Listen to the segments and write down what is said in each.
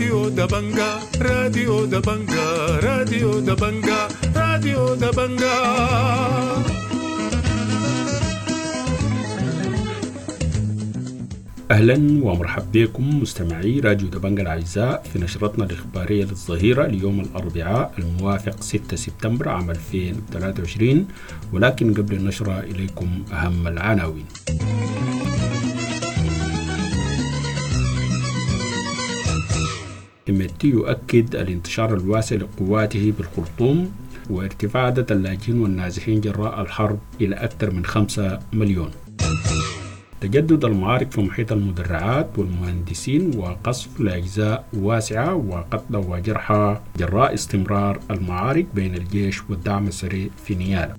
راديو دبنجا، راديو دبنجا، راديو دبنجا، راديو دبنجا. أهلا ومرحبا بكم مستمعي راديو دبنجا الأعزاء في نشرتنا الإخبارية للظهيرة ليوم الأربعاء الموافق 6 سبتمبر عام 2023، ولكن قبل النشرة إليكم أهم العناوين. حميدتي يؤكد الانتشار الواسع لقواته بالخرطوم وارتفاع عدد اللاجئين والنازحين جراء الحرب إلى أكثر من 5 مليون. تجدد المعارك في محيط المدرعات والمهندسين وقصف لأجزاء واسعة وقتلى وجرحى جراء استمرار المعارك بين الجيش والدعم السريع في نيالا.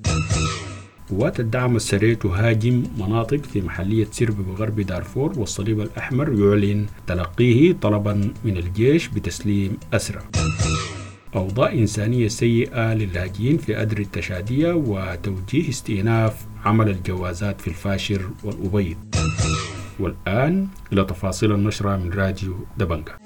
قوات الدعم السريع تهاجم مناطق في محلية سرب بغرب دارفور، والصليب الأحمر يعلن تلقيه طلبا من الجيش بتسليم أسرى. أوضاع إنسانية سيئة للاجئين في أدري التشادية وتوجيه استئناف عمل الجوازات في الفاشر والأبيض. والآن إلى تفاصيل النشرة من راديو دبنجا.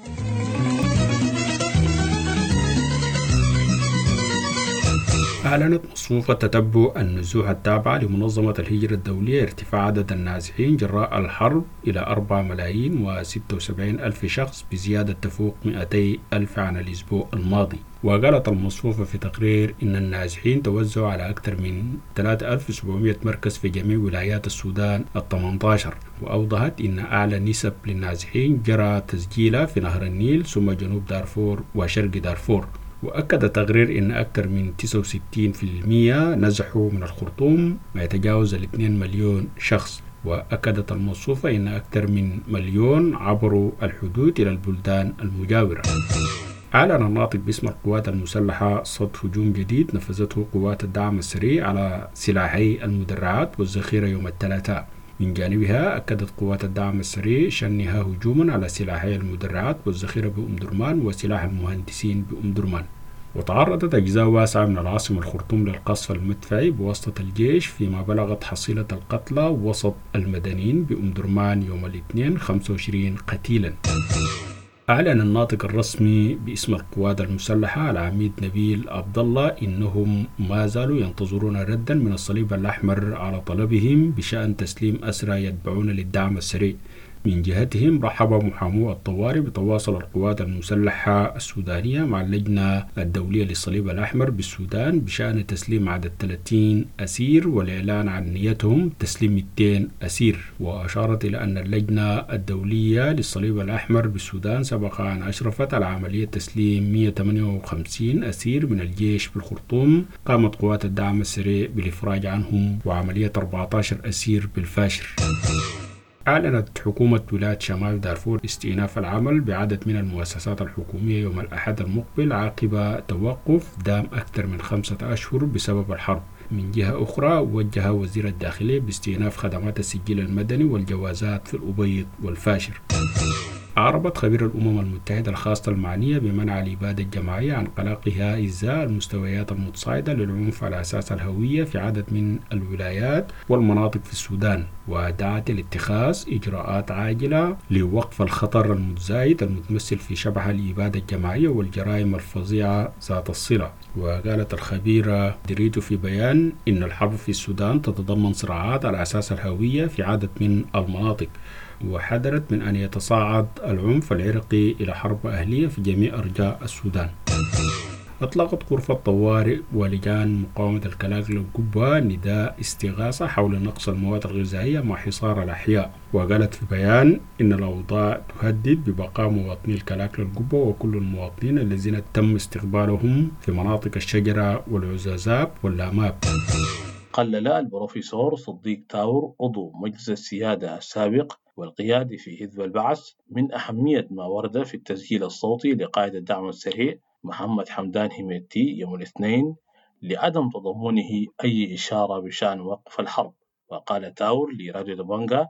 أعلنت مصفوفة تتبع النزوح التابعة لمنظمة الهجرة الدولية ارتفاع عدد النازحين جراء الحرب إلى 4,076,000 شخص بزيادة تفوق 200,000 عن الأسبوع الماضي. وقالت المصفوفة في تقرير إن النازحين توزعوا على أكثر من 3700 مركز في جميع ولايات السودان ال18، وأوضحت إن أعلى نسب للنازحين جرى تسجيلها في نهر النيل ثم جنوب دارفور وشرق دارفور. وأكد تقرير أن أكثر من 69% نزحوا من الخرطوم ما يتجاوز 2 مليون شخص. وأكدت المصفوفة أن أكثر من مليون عبروا الحدود إلى البلدان المجاورة. أعلن الناطق باسم القوات المسلحة صد هجوم جديد نفذته قوات الدعم السريع على سلاحي المدرعات والذخيرة يوم الثلاثاء. من جانبها أكدت قوات الدعم السريع شنها هجوما على سلاحي المدرعات والذخيرة بأم درمان وسلاح المهندسين بأم درمان. وتعرضت أجزاء واسعة من العاصمة الخرطوم للقصف المدفعي بواسطة الجيش، فيما بلغت حصيلة القتلى وسط المدنيين بأم درمان يوم الاثنين 25 قتيلا. أعلن الناطق الرسمي باسم القوات المسلحة العميد نبيل عبد الله إنهم ما زالوا ينتظرون ردا من الصليب الأحمر على طلبهم بشأن تسليم أسرى يتبعون للدعم السريع. من جهتهم رحب محامو الطوارئ بتواصل القوات المسلحة السودانية مع اللجنة الدولية للصليب الأحمر بالسودان بشأن تسليم عدد 30 أسير والإعلان عن نيتهم تسليم 200 أسير. وأشارت إلى أن اللجنة الدولية للصليب الأحمر بالسودان سبق أن أشرفت على عملية تسليم 158 أسير من الجيش بالخرطوم قامت قوات الدعم السريع بالإفراج عنهم، وعملية 14 أسير بالفاشر. أعلنت حكومة ولاية شمال دارفور استئناف العمل بعدد من المؤسسات الحكومية يوم الأحد المقبل عقب توقف دام أكثر من 5 أشهر بسبب الحرب. من جهة أخرى وجه وزير الداخلية باستئناف خدمات السجل المدني والجوازات في الأبيض والفاشر. أعربت خبير الأمم المتحدة الخاصة المعنية بمنع الإبادة الجماعية عن قلقها إزاء المستويات المتصاعدة للعنف على أساس الهوية في عدد من الولايات والمناطق في السودان، ودعت لاتخاذ إجراءات عاجلة لوقف الخطر المتزايد المتمثل في شبح الإبادة الجماعية والجرائم الفظيعة ذات الصلة. وقالت الخبيرة دريتو في بيان إن الحرب في السودان تتضمن صراعات على أساس الهوية في عدد من المناطق، وحذرت من أن يتصاعد العنف العرقي إلى حرب أهلية في جميع أرجاء السودان. أطلقت غرفة طوارئ ولجان مقاومة الكلاكلة القبة نداء استغاثة حول نقص المواد الغذائية مع حصار الأحياء. وقالت في بيان إن الأوضاع تهدد ببقاء مواطني الكلاكلة القبة وكل المواطنين الذين تم استقبالهم في مناطق الشجرة والعزازاب واللاماب. قلل البروفيسور صديق تاور عضو مجلس السيادة السابق والقيادي في حزب البعث من أهمية ما ورد في التسجيل الصوتي لقائد الدعم السريع محمد حمدان هميتي يوم الاثنين لعدم تضمنه أي إشارة بشأن وقف الحرب. وقال تاور لراديو دبنجا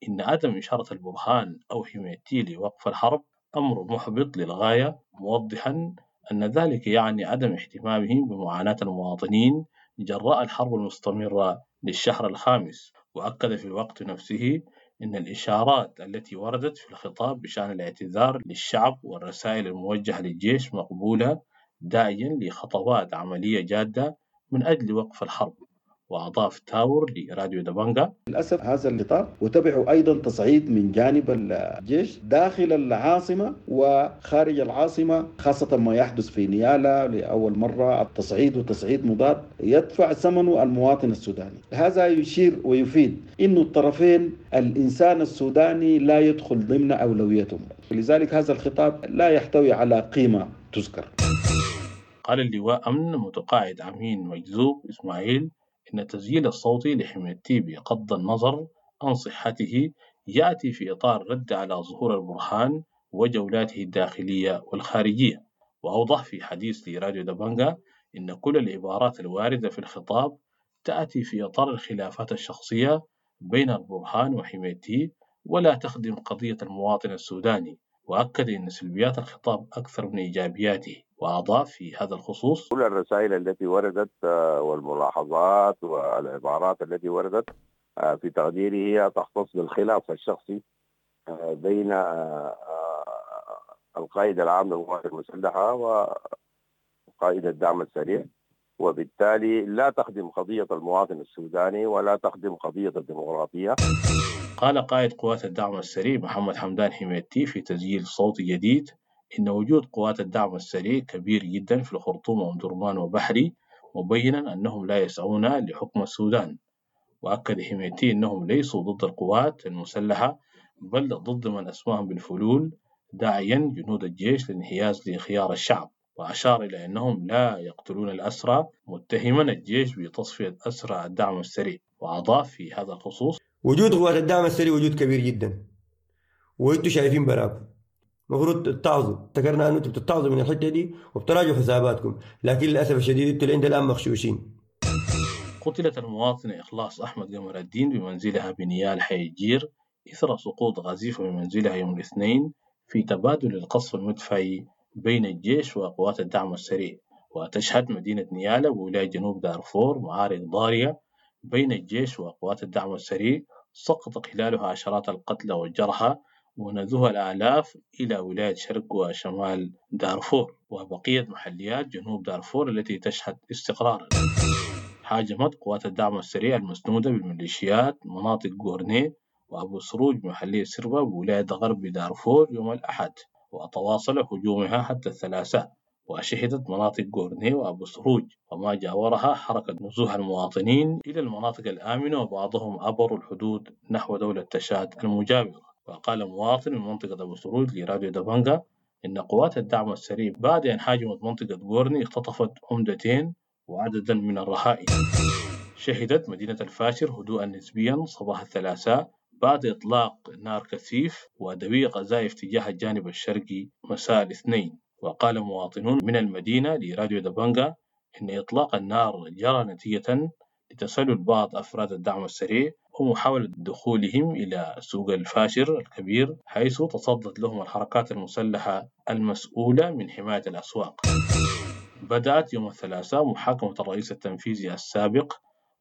إن عدم إشارة البرهان أو هميتي لوقف الحرب أمر محبط للغاية، موضحا أن ذلك يعني عدم اهتمامهم بمعاناة المواطنين جراء الحرب المستمرة للشهر الخامس. وأكد في الوقت نفسه إن الإشارات التي وردت في الخطاب بشأن الاعتذار للشعب والرسائل الموجهة للجيش مقبولة، داعيا لخطوات عملية جادة من أجل وقف الحرب. وأضاف تاور لراديو دبنجا: للأسف هذا الخطاب وتبعه أيضا تصعيد من جانب الجيش داخل العاصمة وخارج العاصمة، خاصة ما يحدث في نيالا لأول مرة، التصعيد وتصعيد مضاد يدفع ثمنه المواطن السوداني. هذا يشير ويفيد أن الطرفين الإنسان السوداني لا يدخل ضمن أولويتهم، لذلك هذا الخطاب لا يحتوي على قيمة تذكر. قال اللواء أمن متقاعد أمين مجذوب إسماعيل إن التسجيل الصوتي لحميدتي بغض النظر عن صحته يأتي في إطار رد على ظهور البرهان وجولاته الداخلية والخارجية. وأوضح في حديث لراديو دبنجا إن كل العبارات الواردة في الخطاب تأتي في إطار الخلافات الشخصية بين البرهان وحميدتي ولا تخدم قضية المواطن السوداني. وأكد أن سلبيات الخطاب أكثر من إيجابياته. وأضاف في هذا الخصوص: كل الرسائل التي وردت والملاحظات والعبارات التي وردت في تقديري هي تختص بالخلاف الشخصي بين القائد العام للقوات المسلحة وقائد الدعم السريع، وبالتالي لا تخدم قضية المواطن السوداني ولا تخدم قضية الديمقراطية. قال قائد قوات الدعم السريع محمد حمدان حميدتي في تسجيل صوتي جديد إن وجود قوات الدعم السريع كبير جدا في الخرطوم وأم وبحري، مبينا أنهم لا يسعون لحكم السودان. وأكد حميدتي أنهم ليسوا ضد القوات المسلحة بل ضد من أسماهم بالفلول، داعيا جنود الجيش للانحياز لخيار الشعب. وأشار إلى أنهم لا يقتلون الأسرى، متهما الجيش بتصفية أسرى الدعم السريع. وأضاف في هذا الخصوص: وجود قوات الدعم السريع وجود كبير جدا، وانتم شايفين براكم المفروض تتعظوا. افتكرنا انه انتم بتتعظوا من الحته دي وبتراجعوا حساباتكم، لكن للاسف الشديد انتم اللي الان مغشوشين. قتلت المواطنة إخلاص أحمد قمر الدين بمنزلها بنيال حي الجير إثر سقوط غزيفة من منزلها يوم الاثنين في تبادل القصف المدفعي بين الجيش وقوات الدعم السريع. وتشهد مدينة نيالا بولاية جنوب دارفور معارك ضارية بين الجيش وقوات الدعم السريع سقط خلالها عشرات القتلى والجرحى ونزوها الآلاف إلى ولاية شرق وشمال دارفور وبقية محليات جنوب دارفور التي تشهد استقرارا. هاجمت قوات الدعم السريع المسنودة بالميليشيات مناطق غورني وأبو سروج محلية سربة بولاية غرب دارفور يوم الأحد، وتواصل هجومها حتى الثلاثاء. وشهدت مناطق غورني وأبو سروج وما جاورها حركة نزوح المواطنين إلى المناطق الآمنة، وبعضهم عبروا الحدود نحو دولة تشاد المجاورة. وقال مواطن من منطقة أبو سروج لراديو دبنجا إن قوات الدعم السريع بعد أن هاجمت منطقة غورني اختطفت عمدتين وعددا من الرهائن. شهدت مدينة الفاشر هدوءا نسبيا صباح الثلاثاء بعد إطلاق نار كثيف ودوي قذائف تجاه الجانب الشرقي مساء الاثنين. وقال مواطنون من المدينة لراديو دبنجا إن إطلاق النار جرى نتيجة لتسلل بعض أفراد الدعم السريع ومحاولة دخولهم إلى سوق الفاشر الكبير، حيث تصدت لهم الحركات المسلحة المسؤولة من حماية الأسواق. بدأت يوم الثلاثاء محاكمة الرئيس التنفيذي السابق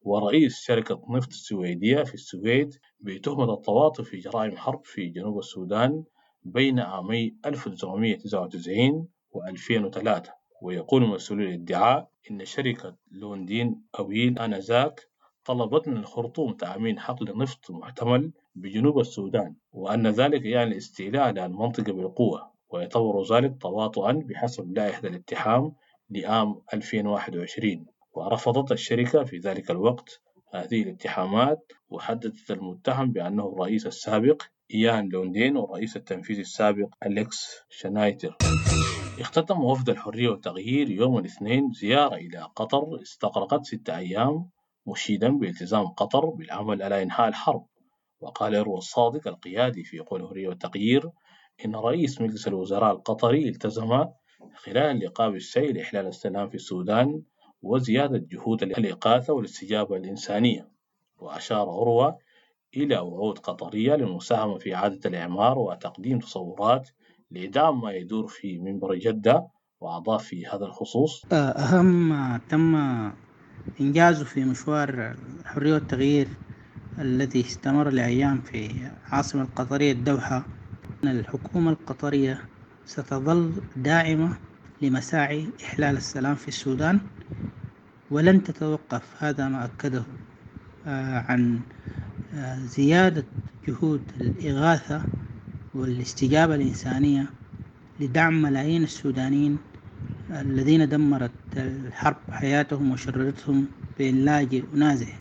ورئيس شركة نفط السويدية في السويد بتهمة التواطؤ في جرائم حرب في جنوب السودان بين عامي 1999 و2003. ويقول مسؤولي الادعاء إن شركة لوندين أويل آنذاك طلبت من الخرطوم تأمين حقل نفط محتمل بجنوب السودان، وأن ذلك يعني الاستيلاء على المنطقة بالقوة، ويعتبر ذلك تواطؤا بحسب لائحة الاتهام لعام 2021. ورفضت الشركة في ذلك الوقت هذه الاتهامات، وحددت المتهم بأنه الرئيس السابق إيان لوندين والرئيس التنفيذي السابق أليكس شنايتر. اختتم وفد الحرية والتغيير يوم الاثنين زيارة إلى قطر استغرقت 6 أيام، مشيدا بالتزام قطر بالعمل على إنهاء الحرب. وقال إروى الصادق القيادي في قوى الحرية والتغيير إن رئيس مجلس الوزراء القطري التزم خلال اللقاء بالسعي لإحلال السلام في السودان وزيادة جهود الإغاثة والاستجابة الإنسانية. وأشار عروة إلى وعود قطرية للمساهمة في إعادة الإعمار وتقديم تصورات لدعم ما يدور في منبر جدة. وأضاف في هذا الخصوص: أهم ما تم إنجازه في مشوار الحرية والتغيير الذي استمر لأيام في العاصمة القطرية الدوحة، أن الحكومة القطرية ستظل داعمة لمساعي إحلال السلام في السودان ولن تتوقف. هذا ما أكده عن زيادة جهود الإغاثة والاستجابة الإنسانية لدعم ملايين السودانيين الذين دمرت الحرب حياتهم وشردتهم بين لاجئ ونازح.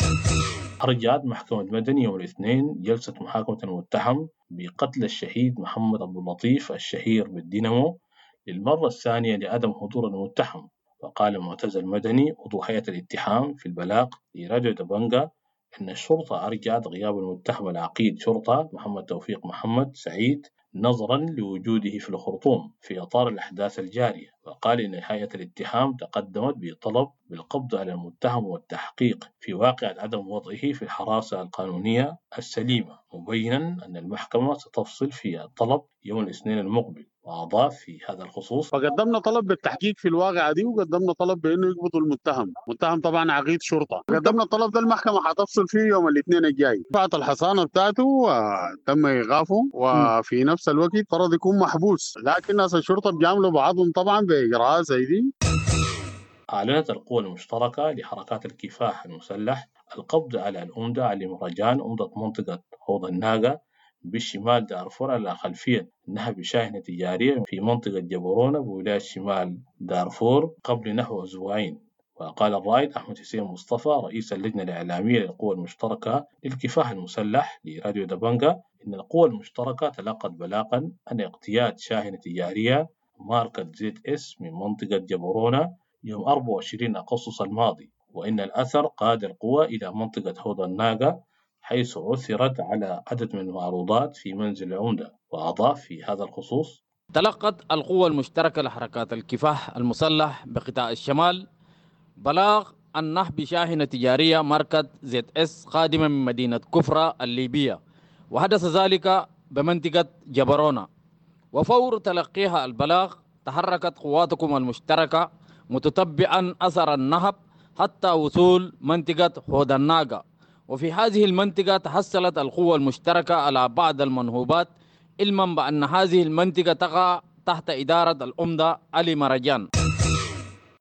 أرجعت محكمة مدني يوم الاثنين جلسة محاكمة المتهم بقتل الشهيد محمد عبد اللطيف الشهير بالدينامو للمرة الثانية لعدم حضور المتهم. وقال معتز المدني عضو هيئة الاتهام في البلاغ لراديو دبنجا أن الشرطة أرجعت غياب المتهم العقيد شرطة محمد توفيق محمد سعيد نظرا لوجوده في الخرطوم في إطار الأحداث الجارية. وقال إن هيئة الاتهام تقدمت بطلب بالقبض على المتهم والتحقيق في واقعة عدم وضعه في الحراسة القانونية السليمة، مبينا أن المحكمة ستفصل في الطلب يوم الاثنين المقبل. وأضاف في هذا الخصوص: فقدمنا طلب بالتحقيق في الواقعة دي، وقدمنا طلب بأنه يقبضوا المتهم، متهم طبعا عقيد شرطة. قدمنا الطلب ده المحكمة حتفصل فيه يوم الاثنين الجاي. رفعت الحصانة بتاعته وتم إيقافه، وفي نفس الوقت فرض يكون محبوس، لكن ناس الشرطة بيعملوا بعضهم طبعا بإجراءات زي دي. أعلنت القوى المشتركة لحركات الكفاح المسلح القبض على الأمدة علي مهرجان أمدة منطقة حوض الناقة بالشمال دارفور على خلفية نهب شاحنة تجارية في منطقة جبرونة بولاية شمال دارفور قبل نحو أسبوعين. وقال الرائد أحمد حسين مصطفى رئيس اللجنة الإعلامية للقوى المشتركة للكفاح المسلح لراديو دبنجا إن القوى المشتركة تلقت بلاغا عن اقتياد شاحنة تجارية ماركة زد اس من منطقة جبرونة يوم 24 أغسطس الماضي، وإن الأثر قاد القوى إلى منطقة حوض الناقة حيث عثرت على عدد من المعروضات في منزل العمدة. وأضاف في هذا الخصوص: تلقت القوى المشتركة لحركات الكفاح المسلح بقطاع الشمال بلاغ عن نهب شاحنة تجارية ماركة زد اس قادمة من مدينة كفرة الليبية، وحدث ذلك بمنطقة جبرونة. وفور تلقيها البلاغ تحركت قواتكم المشتركة متتبعا أثر النهب حتى وصول منطقة حوض الناقة، وفي هذه المنطقة تحصلت القوة المشتركة على بعض المنهوبات، علما بأن هذه المنطقة تقع تحت إدارة الأمدة علي مرجان.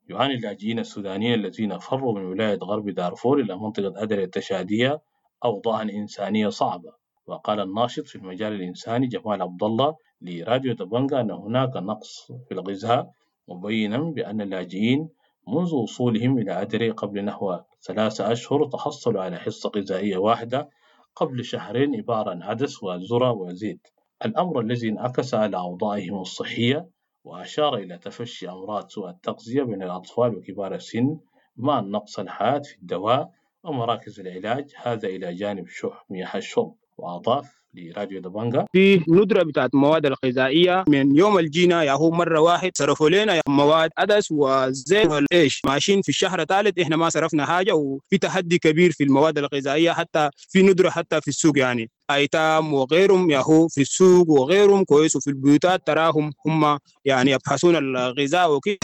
يعاني اللاجئين السودانيين الذين فروا من ولاية غرب دارفور إلى منطقة أدري التشادية أوضاعا إنسانية صعبة. وقال الناشط في المجال الإنساني جمال عبد الله لراديو دبنجا أن هناك نقص في الغذاء، مبينا بأن اللاجئين منذ وصولهم إلى أدري قبل نحو 3 أشهر تحصلوا على حصة غذائية واحدة قبل شهرين عبارة عن عدس وذرة وزيت، الأمر الذي انعكس على أوضاعهم الصحية، وأشار إلى تفشي أمراض سوء التغذية بين الأطفال وكبار السن مع النقص الحاد في الدواء ومراكز العلاج، هذا إلى جانب شح مياه الشرب. وأضاف لراديو دبنجا: في ندرة بتاعت المواد الغذائية من يوم الجينا يا هو مرة واحد صرفوا لنا مواد عدس وزيت والإيش، ماشيين في الشهر الثالث إحنا ما صرفنا حاجة، وفي تحدي كبير في المواد الغذائية، حتى في ندرة حتى في السوق، يعني أيتام وغيرهم يا هو في السوق وغيرهم كويس، وفي البيوتات تراهم هم يعني يبحثون الغذاء وكده.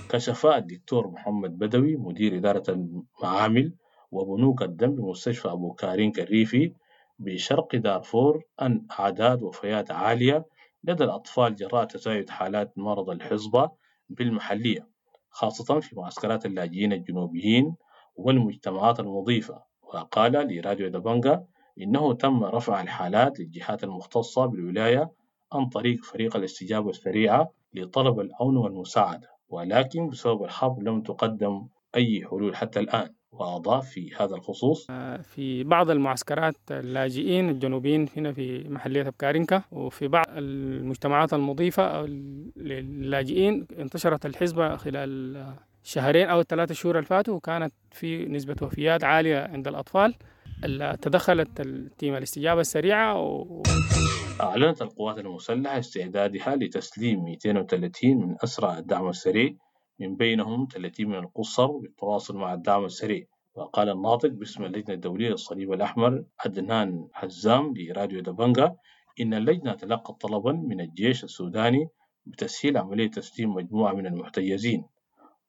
كشف الدكتور محمد بدوي مدير إدارة المعامل وبنوك الدم بمستشفى أبو كارين كريفي بشرق دارفور أن أعداد وفيات عالية لدى الأطفال جراء تزايد حالات مرض الحصبة بالمحلية، خاصة في معسكرات اللاجئين الجنوبيين والمجتمعات المضيفة. وقال لراديو دبنجا إنه تم رفع الحالات للجهات المختصة بالولاية عن طريق فريق الاستجابة السريعة لطلب العون والمساعدة، ولكن بسبب الحرب لم تقدم أي حلول حتى الآن. وأضاف في هذا الخصوص: في بعض المعسكرات اللاجئين الجنوبيين هنا في محلية بكارينكا وفي بعض المجتمعات المضيفة للاجئين انتشرت الحزبة خلال شهرين أو 3 شهور الفاتوا، وكانت في نسبة وفيات عالية عند الأطفال. تدخلت التيم الاستجابة السريعة أعلنت القوات المسلحة استعدادها لتسليم 230 من أسرى الدعم السريع، من بينهم 30 من القصر، بالتواصل مع الدعم السريع. وقال الناطق باسم اللجنة الدولية للصليب الأحمر عدنان حزام لراديو دبنجا إن اللجنة تلقت طلبا من الجيش السوداني بتسهيل عملية تسليم مجموعة من المحتجزين.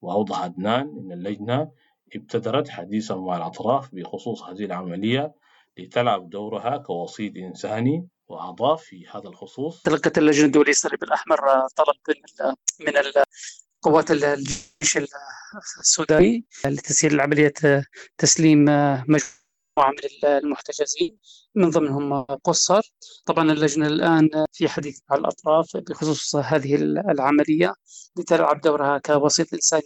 وأوضح عدنان إن اللجنة ابتدرت حديثا مع الأطراف بخصوص هذه العملية لتلعب دورها كوسيط إنساني. وأضاف في هذا الخصوص: تلقت اللجنة الدولية للصليب الأحمر طلب من قوات الجيش السوداني لتسهيل عملية تسليم مجموعة من المحتجزين من ضمنهم قصر. طبعا اللجنة الآن في حديث مع الأطراف بخصوص هذه العملية لتلعب دورها كوسيط إنساني.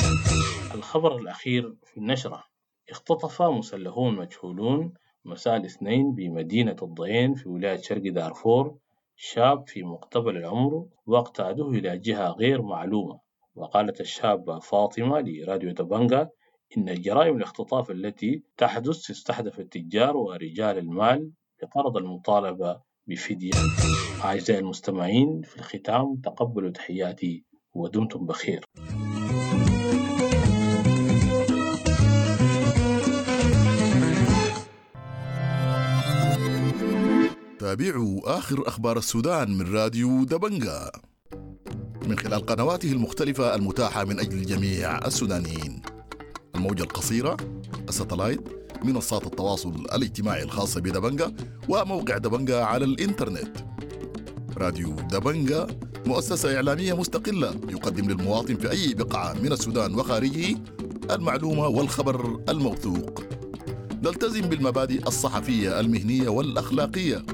الخبر الأخير في النشرة: اختطف مسلحون مجهولون مساء الاثنين بمدينة الضعين في ولاية شرق دارفور شاب في مقتبل العمر واقتادوه إلى جهة غير معلومة. وقالت الشابة فاطمة لراديو دبنجا إن جرائم الاختطاف التي تحدث تستهدف التجار ورجال المال بغرض المطالبة بفدية. أعزائي المستمعين، في الختام تقبلوا تحياتي ودمتم بخير. تابعوا آخر أخبار السودان من راديو دبنجا من خلال قنواته المختلفة المتاحة من أجل جميع السودانيين: الموجة القصيرة، الستلايت، منصات التواصل الاجتماعي الخاصة بدبنجا، وموقع دبنجا على الإنترنت. راديو دبنجا مؤسسة إعلامية مستقلة يقدم للمواطن في أي بقعة من السودان وخارجه المعلومة والخبر الموثوق. نلتزم بالمبادئ الصحفية المهنية والأخلاقية،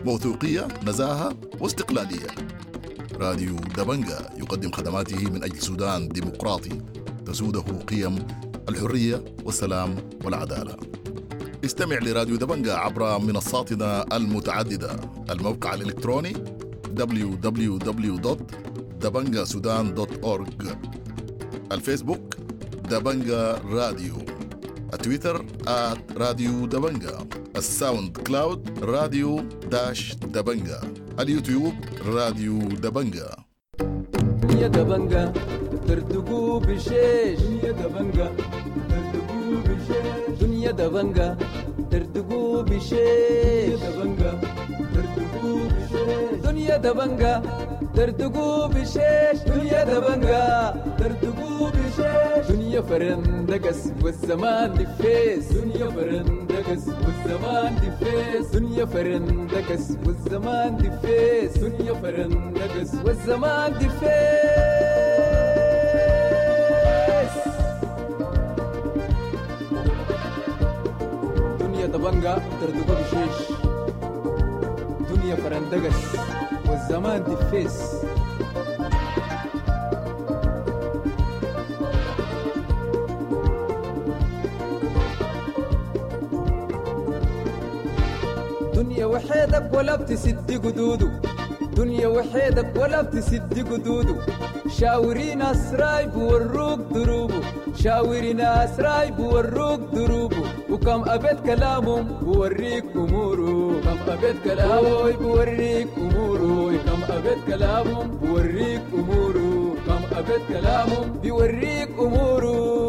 موثوقية، نزاهة واستقلالية. راديو دبنجا يقدم خدماته من أجل سودان ديمقراطي تسوده قيم الحرية والسلام والعدالة. استمع لراديو دبنجا عبر منصاتنا المتعددة: الموقع الإلكتروني www.dabangasudan.org، الفيسبوك دبنجا راديو، التويتر @راديو دبنجا، الساوند كلاود راديو dash دبنجا، اليوتيوب راديو دبنجا. يا دبنجا ترتقو بشيش، يا دبنجا ترتقو بشيش، دنيا دبنجا ترتقو بشيش، يا دبنجا ترتقو بشيش، دنيا دبنجا ترتقو بشيش، دنيا دبنجا ترتقو بشيش، دنيا فرندقس والزمان دفيس، دنيا فرندقس والزمان دفيس، دنيا فرندقس والزمان دفيس، دنيا فرندقس والزمان دفيس. دنيا دبنجا ترتقو بشيش، دنيا فرندقس والزمان دفيس. دنيا وحيدك ولا بتسد قدوده، دنيا وحيدك ولا بتسد قدوده، شاوري ناس رايب وروك دروبه، شاوري ناس رايب وروك دروبه، وكم أبيت كلامهم بوريك أموره، كم أبيت كلامه بوريك أموره، كم أبيت كلامهم بوريك أموره، كم أبيت كلامهم بيوريك أموره.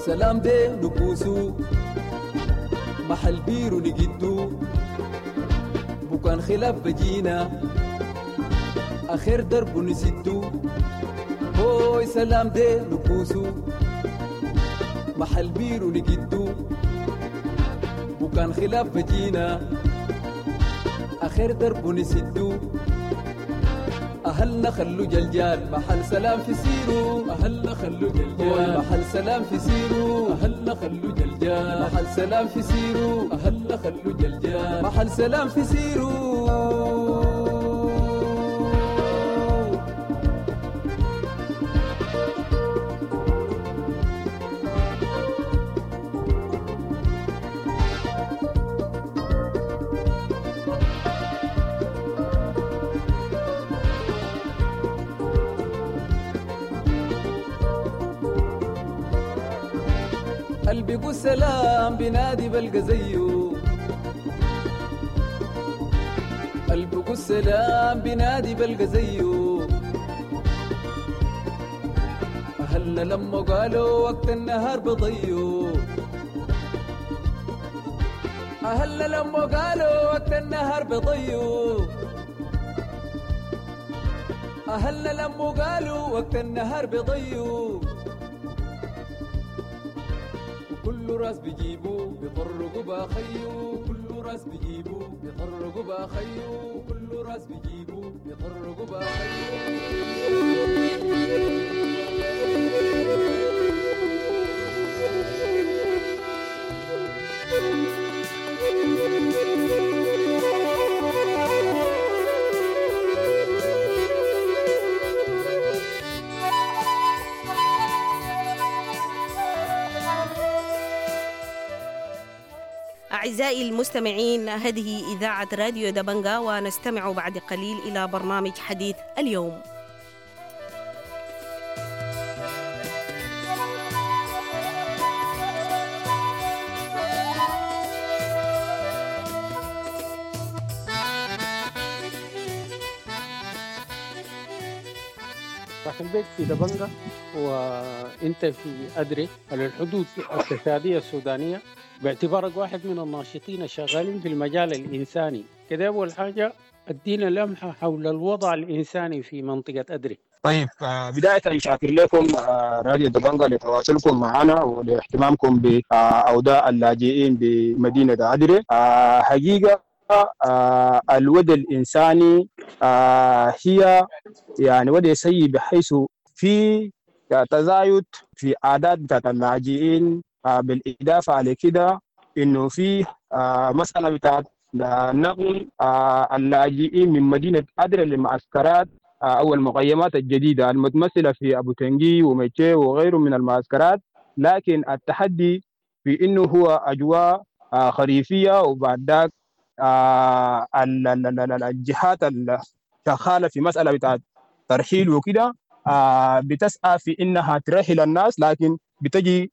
سلام دي نكوسو محل بيرو نجدو، بكان خلاف بجينا آخر درب نسدو، هوي سلام دي نكوسو محل بيرو نجدو، بكان خلاف بجينا آخر درب نسدو، أهلنا خلو جلجال محل سلام في سيرو، أهلنا خلو جلجال محل سلام في سيرو، أهلنا خلو جلجال محل سلام في سيرو، أهلنا خلو جلجال محل سلام في سيرو. قلبي سلام بنادي بلقى زيه، قلبي سلام بنادي بلقى زيه، أهلنا لما قالوا وقت النهار بضيوا، أهلنا لما قالوا وقت النهار بضيوا، أهلنا لما قالوا وقت النهار بضيوا، وكل راس بيجيبوا بيطرقوا باخيو، كل راس بيجيبوا بيطرقوا باخيو، كل راس بيجيبوا بيطرقوا باخيو. أعزائي المستمعين، هذه إذاعة راديو دبنجا، ونستمع بعد قليل إلى برنامج حديث اليوم. داخل بيك في دبنجا وانت في أدري على الحدود التشادية السودانية، باعتبارك واحد من الناشطين الشغالين في المجال الإنساني كده، أول حاجة ادينا لمحة حول الوضع الإنساني في منطقة أدري. طيب، بداية شاكر لكم راديو دبنجا لتواصلكم معنا ولاهتمامكم بأوضاع اللاجئين بمدينة أدري. حقيقة الوضع الإنساني هي يعني وضع سيء، بحيث في تزايد في أعداد بتاعت اللاجئين، بالإضافة على كده إنه في مسألة بتاعت نقل اللاجئين من مدينة أدري لمعسكرات أو المخيمات الجديدة المتمثلة في أبو تنجي وميتشي وغيره من المعسكرات. لكن التحدي في إنه هو أجواء خريفية، وبعد ذاك الجهات الشغالة في مسألة بتاعت ترحيل وكده بتسعى في إنها ترحل الناس، لكن بتجي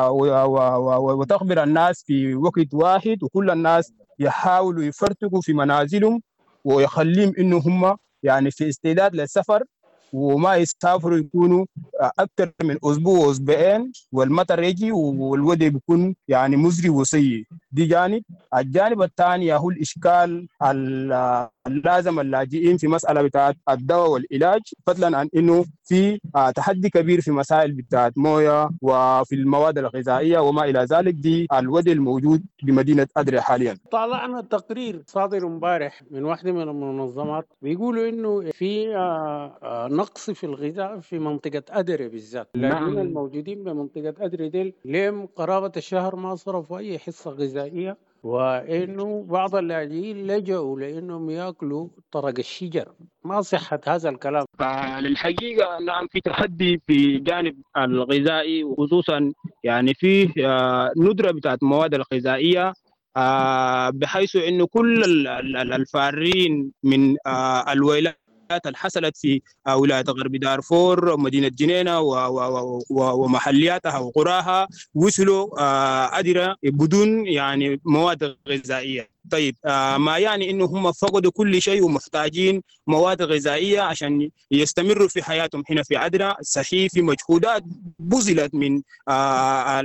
وتخبر الناس في وقت واحد، وكل الناس يحاولوا يفرتقوا في منازلهم ويخليهم إنه هم يعني في استعداد للسفر، وما يسافروا يكونوا أكثر من أسبوع وأسبوعين، والمطر يجي والوضع بيكون يعني مزري وسيء. دي جانب. الجانب الثاني هو الإشكال اللازم اللاجئين في مسألة بتاعت الدواء والعلاج، فضلا عن إنه في تحدي كبير في مسائل بتاعت موية وفي المواد الغذائية وما إلى ذلك. دي الوضع الموجود بمدينة أدري حاليا. طلعنا تقرير صادر امبارح من واحدة من المنظمات بيقولوا إنه في نقص في الغذاء في منطقة أدري بالذات. اللاجئين الموجودين بمنطقة أدري ديل لهم قرابة الشهر ما صرفوا أي حصة غذائية، وإنه بعض اللاجئين لجأوا لأنهم يأكلوا طرق الشجر. ما صحة هذا الكلام؟ للحقيقة نعم في تحدي في جانب الغذائي، وخصوصا يعني في ندرة بتاعت المواد الغذائية، بحيث إنه كل الفارين من الولايات اللي حصلت في ولاية غرب دارفور، مدينة جنينة ومحلياتها وقراها، وصلوا أدرى بدون يعني مواد غذائية. طيب ما يعني إنه هم فقدوا كل شيء ومحتاجين مواد غذائية عشان يستمروا في حياتهم هنا في أدرى. صحيح في مجهودات بذلت من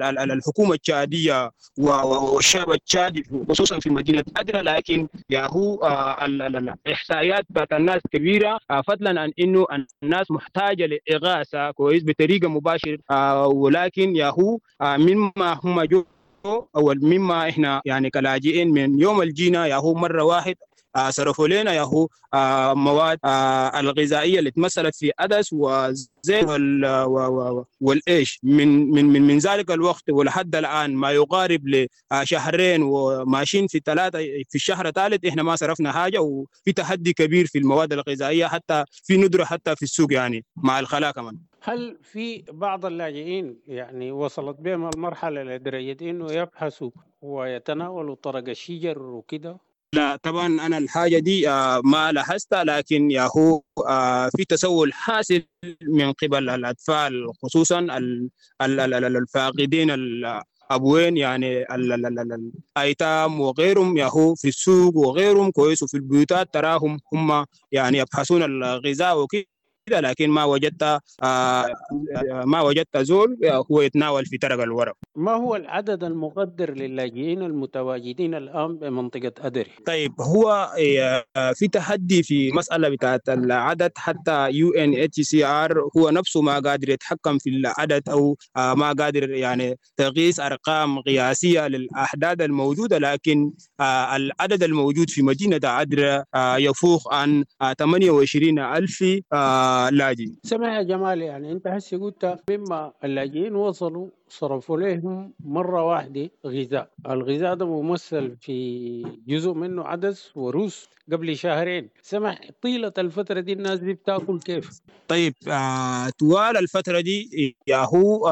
الحكومة التشادية والشعب التشادي خصوصا في مدينة أدرى، لكن ياهو الإحصائيات بتاعت الناس كبيرة، فضلا عن إنه الناس محتاجة لإغاثة كويس بطريقة مباشرة، ولكن ياهو مما هم جو أو مما إحنا يعني كلاجئين من يوم الجينا ياهو مرة واحد صرفوا لنا ياهو مواد الغذائية اللي تمثلت في عدس وزيت والإيش من من من من ذلك الوقت ولحد الآن ما يقارب لشهرين وماشيين في ثلاثة في الشهر الثالث إحنا ما صرفنا حاجة، وفي تحدي كبير في المواد الغذائية، حتى في ندرة حتى في السوق يعني مع الخلاء كمان. هل في بعض اللاجئين يعني وصلت بهم المرحلة لدرجة إنه يبحثوا ويتناولوا طرق الشجر وكده؟ لا طبعا أنا الحاجة دي ما لاحظتها، لكن ياهو في تسول حاصل من قبل الأطفال خصوصا الفاقدين الأبوين يعني الأيتام وغيرهم، ياهو في السوق وغيرهم كويس، وفي البيوتات تراهم هم يعني يبحثون الغذاء وكده. لكن ما وجدت زول هو يتناول في ترق الورق. ما هو العدد المقدر للاجئين المتواجدين الآن بمنطقة أدري؟ طيب، هو في تحدي في مسألة بتاعت العدد، حتى UNHCR هو نفسه ما قادر يتحكم في العدد أو ما قادر يعني تقيس أرقام قياسية للأعداد الموجودة، لكن العدد الموجود في مدينة أدري يفوق عن 28 ألف لاجئ. سمع يا جمال، يعني أنت هسي قلت مما اللاجئين وصلوا صرفوا لهم مرة واحدة غذاء، الغذاء ده ممثل في جزء منه عدس وروس قبل شهرين. سمح، طيلة الفترة دي الناس دي بتاكل كيف؟ طيب، طوال الفترة دي ياهو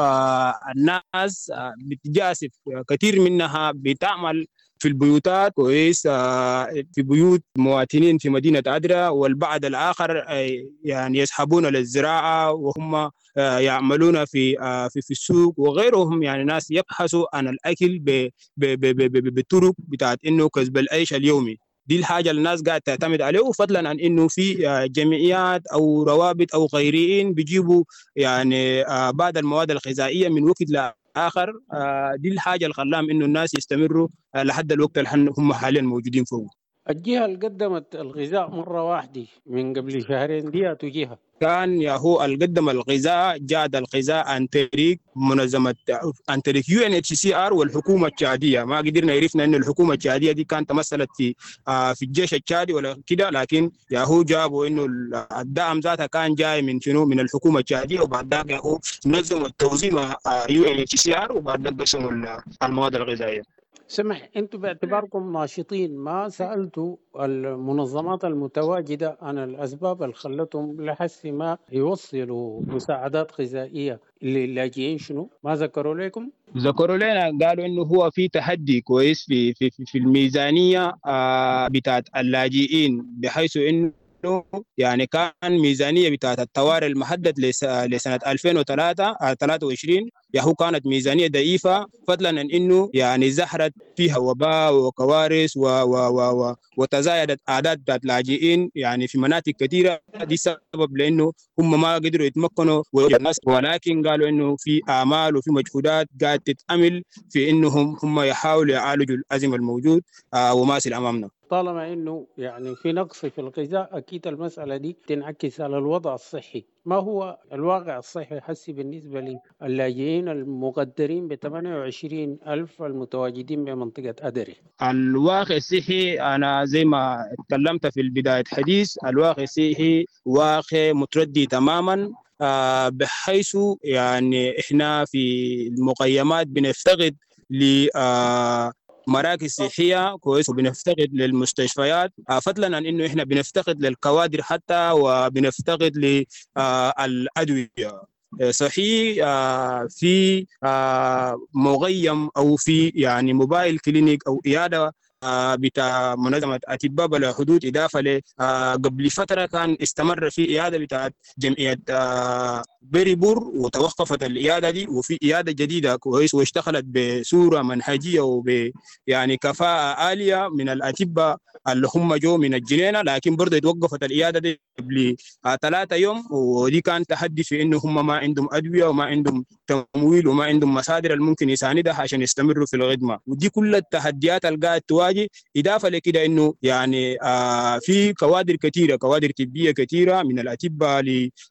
الناس بتجاسف، كثير منها بتعمل في البيوتات كويس، في بيوت مواطنين في مدينة أدرا، والبعض الآخر يعني يسحبون للزراعة وهم يعملون في في في السوق وغيرهم، يعني ناس يبحثوا عن الأكل بالطرق بتاعت إنه كسب العيش اليومي. دي الحاجة اللي الناس قاعدة تعتمد عليه، فضلا عن إنه في جمعيات أو روابط أو غيرين بيجيبوا يعني بعض المواد الغذائية من وقت لآخر. دي الحاجة اللي خلاهم إنه الناس يستمروا لحد الوقت اللي هم حاليا موجودين فوق. الجهة اللي قدمت الغذاء مرة واحدة من قبل شهرين دي جهة كان ياهو اللي قدم الغذاء، جاد الغذاء عن طريق منظمة، عن طريق UNHCR والحكومة التشادية. ما قدرنا عرفنا انه الحكومة التشادية دي كانت تمثلت في الجيش التشادي ولا كده، لكن ياهو جابوا انه الدعم ذاتها كان جاي من شنو؟ من الحكومة التشادية، وبعد ذاك ياهو نظموا التوزيع مع UNHCR وبعد ذاك قسموا المواد الغذائية. سمح، انتم باعتباركم ناشطين ما سألتوا المنظمات المتواجدة عن الأسباب اللي خلتهم لحس ما يوصلوا مساعدات غذائية للاجئين شنو؟ ما ذكروا لكم؟ ذكروا لنا، قالوا انه هو في تحدي كويس في في في الميزانية بتاعت اللاجئين، بحيث انه يعني كان ميزانية بتاعت الطوارئ المحدد لسنة 2023 ياهو كانت ميزانية ضعيفة، فضلا عن انه يعني زهرت فيها وباء وكوارث و و و و وتزايدت اعداد بتاعت لاجئين يعني في مناطق كثيرة. دي سبب لانه هم ما قدروا يتمكنوا الناس، ولكن قالوا انه في اعمال وفي مجهودات قاعد تتأمل في انهم هم يحاولوا يعالجوا الازمة الموجود وماثل امامنا. طالما انه يعني في نقص في الغذاء اكيد المسألة دي تنعكس على الوضع الصحي. ما هو الواقع الصحي حسي بالنسبة للاجئين المقدرين ب 28 ألف المتواجدين بمنطقة أدري؟ الواقع الصحي أنا زي ما تكلمت في البداية حديث، الواقع الصحي واقع متردي تماما، بحيث يعني إحنا في المقيمات بنفتقد ل مراكز صحية كويس، وبنفتقد للمستشفيات، فضلا عن انه احنا بنفتقد للكوادر حتى، وبنفتقد للأدوية. صحيح في مغيم او في يعني موبايل كلينيك او عيادة بتاع منظمة أطباء بلا حدود، إضافة ل قبل فترة كان استمر في عيادة بتاعت جمعية بريبور وتوقفت العيادة دي، وفي عيادة جديدة كويس واشتغلت بصورة منهجية وب يعني كفاءة عالية من الأطباء اللي هم جو من الجنينة، لكن برضه اتوقفت العيادة دي قبل 3 يوم، ودي كان تحدي في إنه هم ما عندهم أدوية وما عندهم تمويل وما عندهم مصادر اللي ممكن يساندها عشان يستمروا في الخدمة، ودي كل التحديات اللي قاعد تواجه. إضافة لكده إنه يعني في كوادر كثيرة، كوادر طبية كثيرة من الأطباء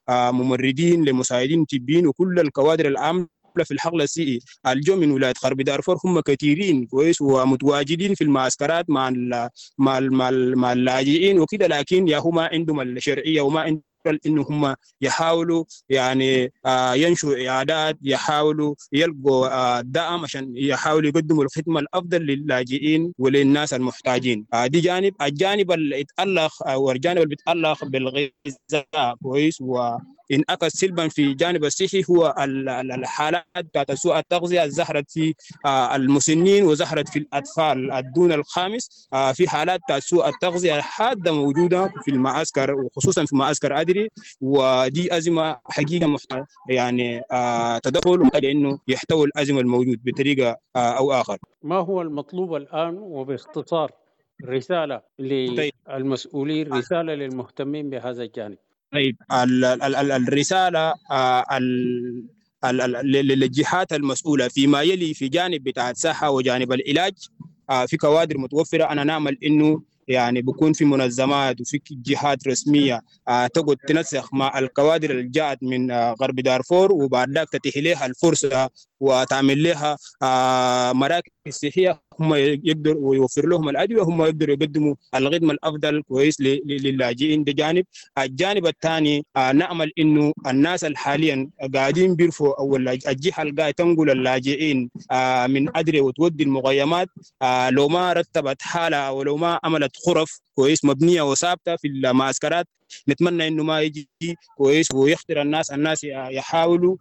لممرضين لمساعدين طبيين وكل الكوادر العامة في الحقل السيئي الجو من ولاية غرب دارفور هم كثيرين كويس ومتواجدين في المعسكرات مع ال مع ال مع, ال مع اللاجئين وكده، لكن يا هم عندهم الشرعية وما عندهم انه هم يحاولوا يعني ينشوا عيادات، يحاولوا يلقوا دعم عشان يحاولوا يقدموا الخدمة الافضل للاجئين وللناس المحتاجين. دي جانب. الجانب اللي يتالق او الجانب اللي بيتالق بالغذاء كويس وانعكس سلبا في الجانب الصحي هو الحالات بتاعت سوء التغذية ظهرت في المسنين وظهرت في الاطفال الدون الخامس. في حالات بتاعت سوء التغذية حادة موجودة في المعسكر وخصوصا في معسكر ادري، ودي أزمة حقيقة محتاجة يعني تدخل ومحتاجة إنه يحتوي الأزمة الموجود بطريقة أو آخر. ما هو المطلوب الآن وباختصار رسالة للمسؤولين، رسالة للمهتمين بهذا الجانب؟ طيب الرسالة للجهات المسؤولة فيما يلي في جانب بتاع الصحة وجانب العلاج، في كوادر متوفرة. أنا نعمل إنه يعني بكون في منظمات وفي جهات رسمية تقعد تنسق مع الكوادر اللي جاءت من غرب دارفور، وبعد ذاك تتيح لها الفرصة وتعمل لها مراكز صحية هم يقدروا ويوفر لهم الأدوية، هم يقدروا يقدموا الخدمة الأفضل كويس للاجئين. ده جانب. الجانب الثاني نأمل إنه الناس اللي حاليا قاعدين بيرفوا أو الجهة اللي قاعدة تنقل اللاجئين من أدري وتودي المخيمات، لو ما رتبت حالها ولو ما عملت غرف كويس مبنية وثابتة في المعسكرات، نتمنى انه ما يجي كويس ويخطر الناس. الناس يحاولوا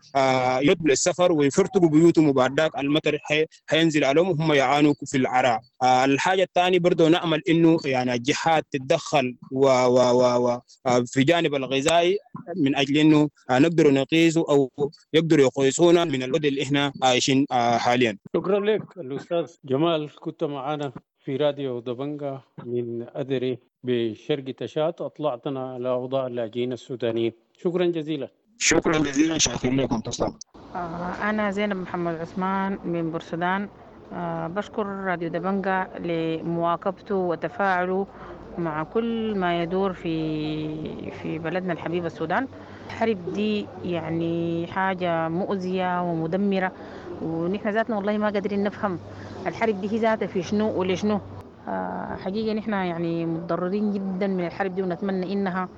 يدخلوا السفر ويفرتقوا بيوتهم، وبعد ذاك المطر حينزل عليهم وهم يعانوا في العراء. الحاجة الثانية برضه نامل انه يعني الجهات تتدخل و و و و في جانب الغذائي من اجل انه نقدر نقيسه او يقدروا يقيسونا من الوضع اللي احنا عايشين حاليا. شكرا لك الاستاذ جمال، كنت معنا في راديو دبنجة من أدري بشرق تشاد، أطلعتنا على أوضاع اللاجئين السودانيين. شكرا جزيلا. شكرا جزيلا، شاكر لكم، تسلم. أنا زينب محمد عثمان من بورسودان. بشكر راديو دبنجة لمواكبته وتفاعله مع كل ما يدور في بلدنا الحبيب السودان. الحرب دي يعني حاجة مؤذية ومدمرة، ونحن ذاتنا والله ما قادرين نفهم الحرب دي هي ذاتها في شنو ولشنو. حقيقة نحن يعني متضررين جدا من الحرب دي، ونتمنى إنها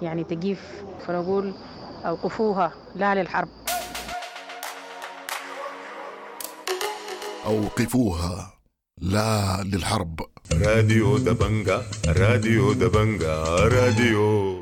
يعني تقيف، فنقول أوقفوها، لا للحرب. أوقفوها، لا للحرب. راديو دبنجة، راديو دبنجة، راديو.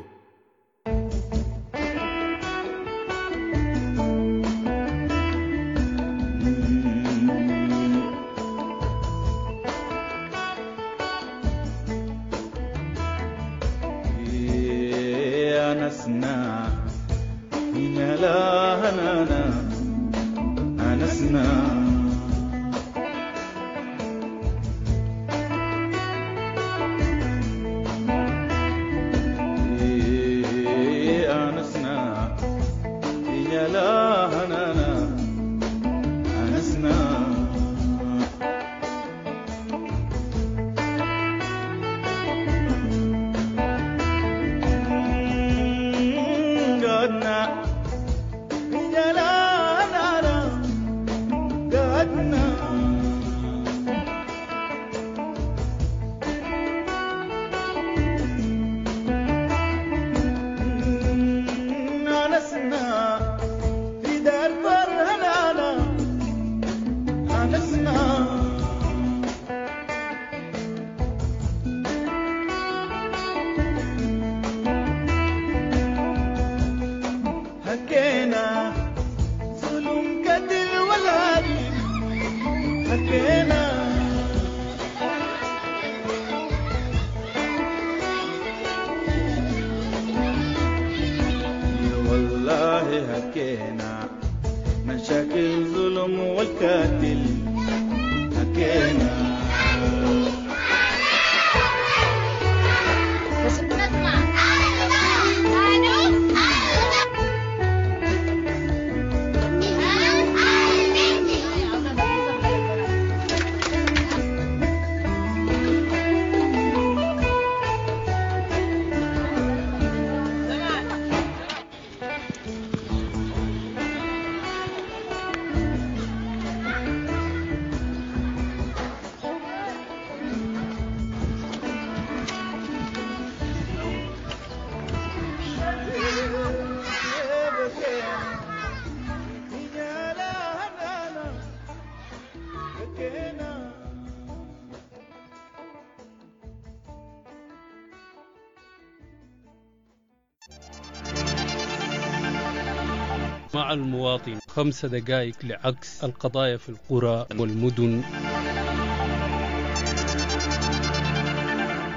مع المواطن 5 دقائق لعكس القضايا في القرى والمدن.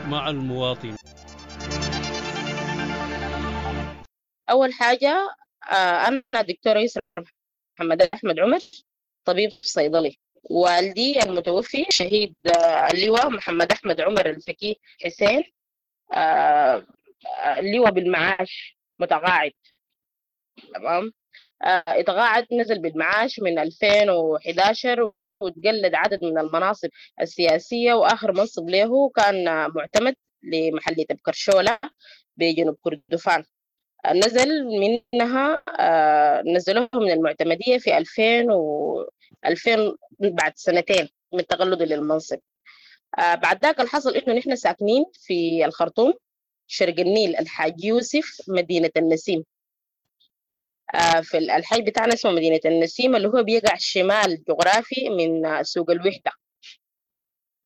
مع المواطن. أول حاجة أنا دكتورة يسرا محمد أحمد عمر، طبيب صيدلي. والدي المتوفي شهيد اللواء محمد أحمد عمر الفكي حسين، اللواء بالمعاش، متقاعد. تمام. اتقاعد، نزل بالمعاش من 2011 وتقلد عدد من المناصب السياسية، وآخر منصب له كان معتمد لمحلية بكرشولة بجنوب كردفان. نزل منها نزلوه من المعتمدية في 2000 بعد سنتين من تقلده للمنصب. بعد ذاك الحصل إنه نحن ساكنين في الخرطوم، شرق النيل، الحاج يوسف، مدينة النسيم. في الحي بتاعنا اسمه مدينة النسيم، اللي هو بيقع شمال جغرافي من سوق الوحدة.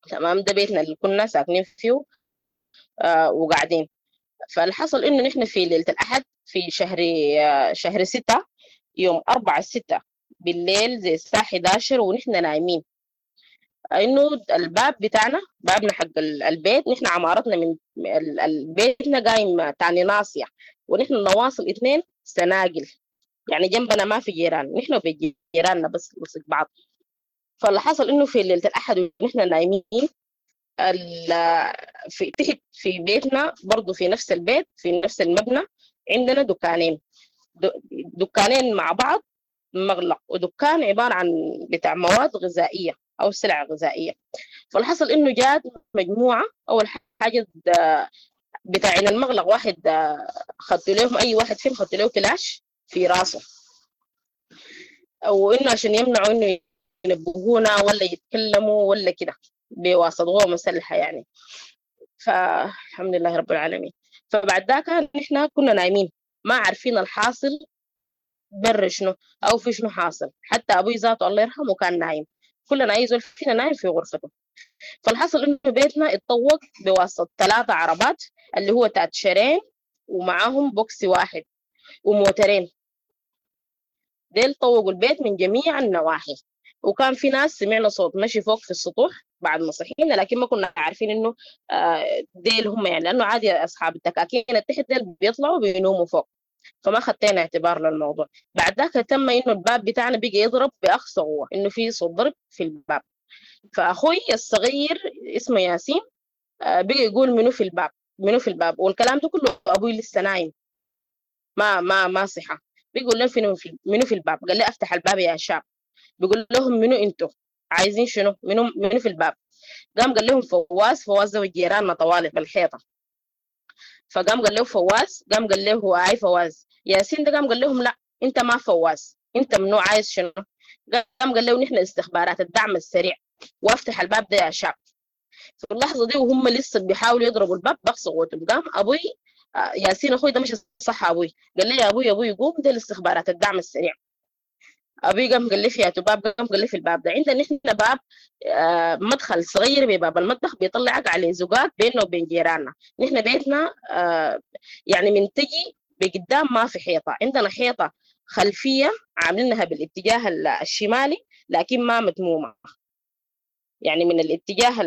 تمام. ده بيتنا اللي كنا ساكنين فيه وقاعدين. فالحصل إنه نحن في ليلة الأحد في شهر 6 يوم 4/6 بالليل زي الساعة 11 ونحن نايمين، إنه الباب بتاعنا، بابنا حق البيت، نحن عمارتنا من بيتنا قايم تاني ناصية، ونحن نواصل 2 سناقل، يعني جنبنا ما في جيران، نحن وبيت جيراننا بس لصق بعض. فاللي حصل إنه في ليلة الأحد ونحن نايمين في تحت في بيتنا برضو في نفس البيت في نفس المبنى عندنا دكانين، دكانين مع بعض مغلق، ودكان عبارة عن بتاع مواد غذائية أو سلع غذائية. فالحصل إنه جات مجموعة، أول حاجة بتاعين المغلق واحد خدوا لهم، أي واحد فيهم خدوا له كلاش في راسه، وإنه عشان يمنعوا إنه ينبهونا ولا يتكلموا ولا كده بواسطة قوة مسلحة يعني. فالحمد لله رب العالمين. فبعد ذاك نحن كنا نايمين ما عارفين الحاصل بر شنو أو في شنو حاصل، حتى أبوي ذاته الله يرحمه كان نايم، كلنا أي زول فينا نايم في غرفته. فالحصل إنه بيتنا اتطوق بواسطة 3 عربات اللي هو تاتشرين ومعاهم بوكسي واحد وموترين، ديل طوقوا البيت من جميع النواحي. وكان في ناس سمعنا صوت مشي فوق في السطوح بعد ما صحينا، لكن ما كنا عارفين إنه ديل هم يعني، لأنه عادي أصحاب الدكاكين التحت ديل بيطلعوا بينوموا فوق، فما خدتنا اعتبار للموضوع. بعد ذاك تم إنه الباب بتاعنا بقى يضرب بأقصى قوة، إنه في صوت ضرب في الباب. فأخوي الصغير اسمه ياسين بقى يقول منو في الباب، منو في الباب، والكلام ده كله أبوي لسه نايم ما ما ما صحى. بيقول لهم منو في الباب، قال لي أفتح الباب يا شاب. بيقول لهم منو انتو عايزين شنو، منو في الباب. قام قال لهم فواز، فواز ده جيراننا طوالي بالحيطه. فقام قال له فواز، قام قال له اي فواز. ياسين ده قام قال لهم لا انت ما فواز، انت منو عايز شنو. قام قال له نحن استخبارات الدعم السريع، وافتح الباب ده يا شاب. في اللحظه دي وهم لسه بيحاولوا يضربوا الباب بأقصى قوتهم، قام ابوي ياسين اخوي ده مش صح، ابوي قال لي يا ابوي ابوي قوم ده الاستخبارات الدعم السريع. ابوي قام قال لي في باب، قام قال لي في الباب ده عندنا نحن باب مدخل صغير بباب المطبخ بيطلعك على زقاق بيننا وبين جيراننا. نحن بيتنا يعني من تجي بقدام ما في حيطه، عندنا حيطه خلفيه عاملينها بالاتجاه الشمالي لكن ما متمومه، يعني من الاتجاه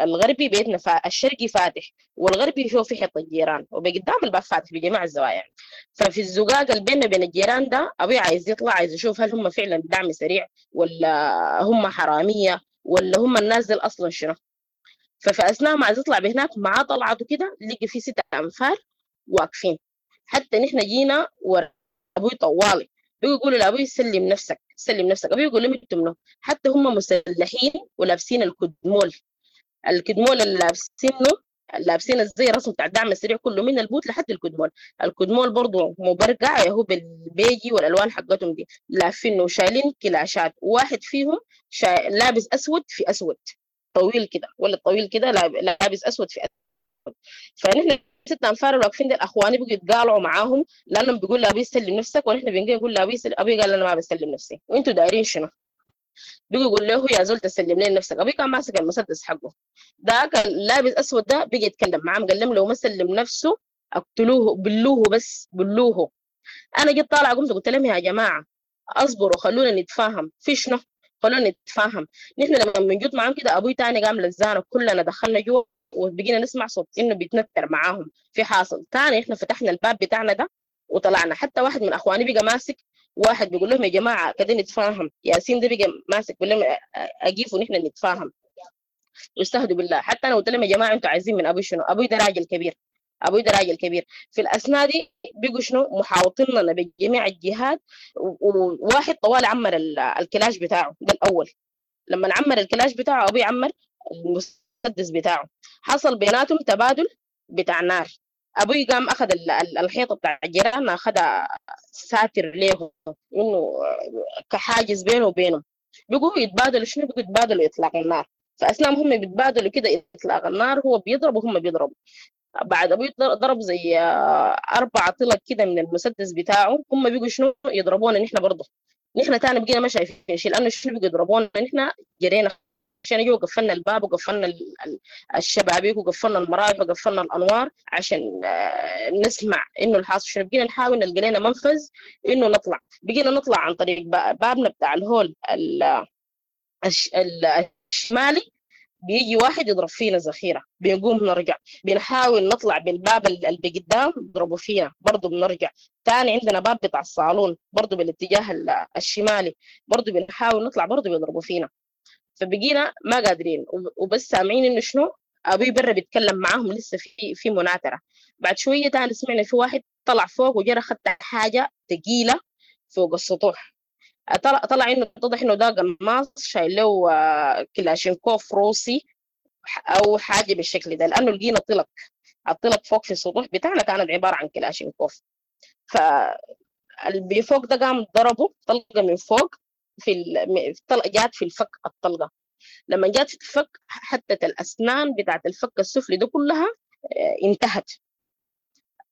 الغربي بيتنا الشرقي فاتح والغربي شو في حيطه الجيران، وبقدام الباب فاتح بجميع الزوايا يعني. ففي الزقاق اللي بيننا بين الجيران ده ابوي عايز يطلع، عايز يشوف هل هم فعلا دعم سريع ولا هم حراميه ولا هم الناس دي اصلا شنو. ففي اثناء ما عايز يطلع بهناك معاه طلعته كده لقي في 6 انفار واقفين. حتى نحن جينا ورا ابوي طوالي بيقولوا لابوي سلم نفسك سلم نفسك، ابوي يقول لهم انتوا منو؟ حتى هم مسلحين ولابسين الكدمول، الكدمول اللي لابسينه لابسين الزي الرسم بتاع الدعم السريع كله من البوت لحد الكدمول، الكدمول برضه مبرقع هو بالبيجي والالوان حقتهم دي، لافينه وشايلين كلاشات، وواحد فيهم لابس اسود في اسود طويل كده ولا طويل كده لابس اسود في اسود. فنحن 6 انفار واقفين دي اخواني بقوا يتقالعوا معاهم لانهم بيقول لابي سلم نفسك، ونحن بنجي نقول لابي سلم، ابي قال انا ما بسلم نفسي وانتوا دايرين شنو؟ بيجي يقول له يا زول تسلم لي نفسك، ابي كان ماسك المسدس حقه ده كان لابس اسود ده بيجي يتكلم معاهم قال لهم لو ما سلم نفسه اقتلوه بلوه بس بلوه. انا جيت طالعه قمت قلت لهم يا جماعه اصبروا خلونا نتفاهم في شنو، خلونا نتفاهم. نحن لما بنجوت معاهم كده ابوي تاني قام لزانا كلنا دخلنا جوا وبقينا نسمع صوت انه بيتنتر معاهم في حاصل. تاني احنا فتحنا الباب بتاعنا ده وطلعنا، حتى واحد من اخواني بقى ماسك واحد بيقول لهم يا جماعه كده نتفاهم، ياسين ده بقى ماسك بيقول لهم اقيفوا نحن نتفاهم واستهدوا بالله. حتى انا قلت لهم يا جماعه انتوا عايزين من ابوي شنو؟ ابوي ده راجل كبير، ابوي ده راجل كبير. في الاثناء دي بيجوا شنو محاوطيننا بجميع الجهات، وواحد طوال عمر الكلاش بتاعه ده الاول. لما عمر الكلاش بتاعه ابوي عمر المسدس بتاعه، حصل بيناتهم تبادل بتاع نار. ابوي قام اخذ الحيطة بتاع الجيران، اخذها ساتر له انه كحاجز بينه وبينهم. بيقوا يتبادلوا شنو، بيقوا يتبادلوا اطلاق النار. فاثناء ما هم بيتبادلوا كده اطلاق النار، هو بيضرب وهم بيضربوا. بعد ابوي ضرب زي 4 طلق كده من المسدس بتاعه، هم بيقوا شنو يضربونا نحن برضه. نحن تاني بقينا ما شايفين شيء، لانه شنو بيقوا يضربونا نحن، جرينا عشان جو قفلنا الباب وقفلنا الشبابيك وقفلنا المراوح وقفلنا الانوار عشان نسمع انه الحاصل شنو. بقينا نحاول نلقى لنا منفذ انه نطلع، بقينا نطلع عن طريق بابنا بتاع الهول الشمالي، بيجي واحد يضرب فينا ذخيرة، بنقوم نرجع. بنحاول نطلع بالباب اللي قدام بيضربوا فينا برضه بنرجع. تاني عندنا باب بتاع الصالون برضه بالاتجاه الشمالي، برضه بنحاول نطلع برضه بيضربوا فينا. فبقينا ما قادرين، وبس سامعين انه شنو ابوي برا بيتكلم معاهم لسه في مناكره. بعد شوية تاني سمعنا في واحد طلع فوق وجرى خد حاجة ثقيلة فوق السطوح، طلع انه اتضح انه ده قناص شايل له كلاشينكوف روسي او حاجة بالشكل ده، لانه لقينا طلق، الطلق فوق في السطوح بتاعنا كانت عبارة عن كلاشينكوف. فاللي فوق ده قام ضربه طلقه من فوق في جات في الفك الطلقة. لما جات في الفك حتى الاسنان بتاعت الفك السفلي ده كلها انتهت،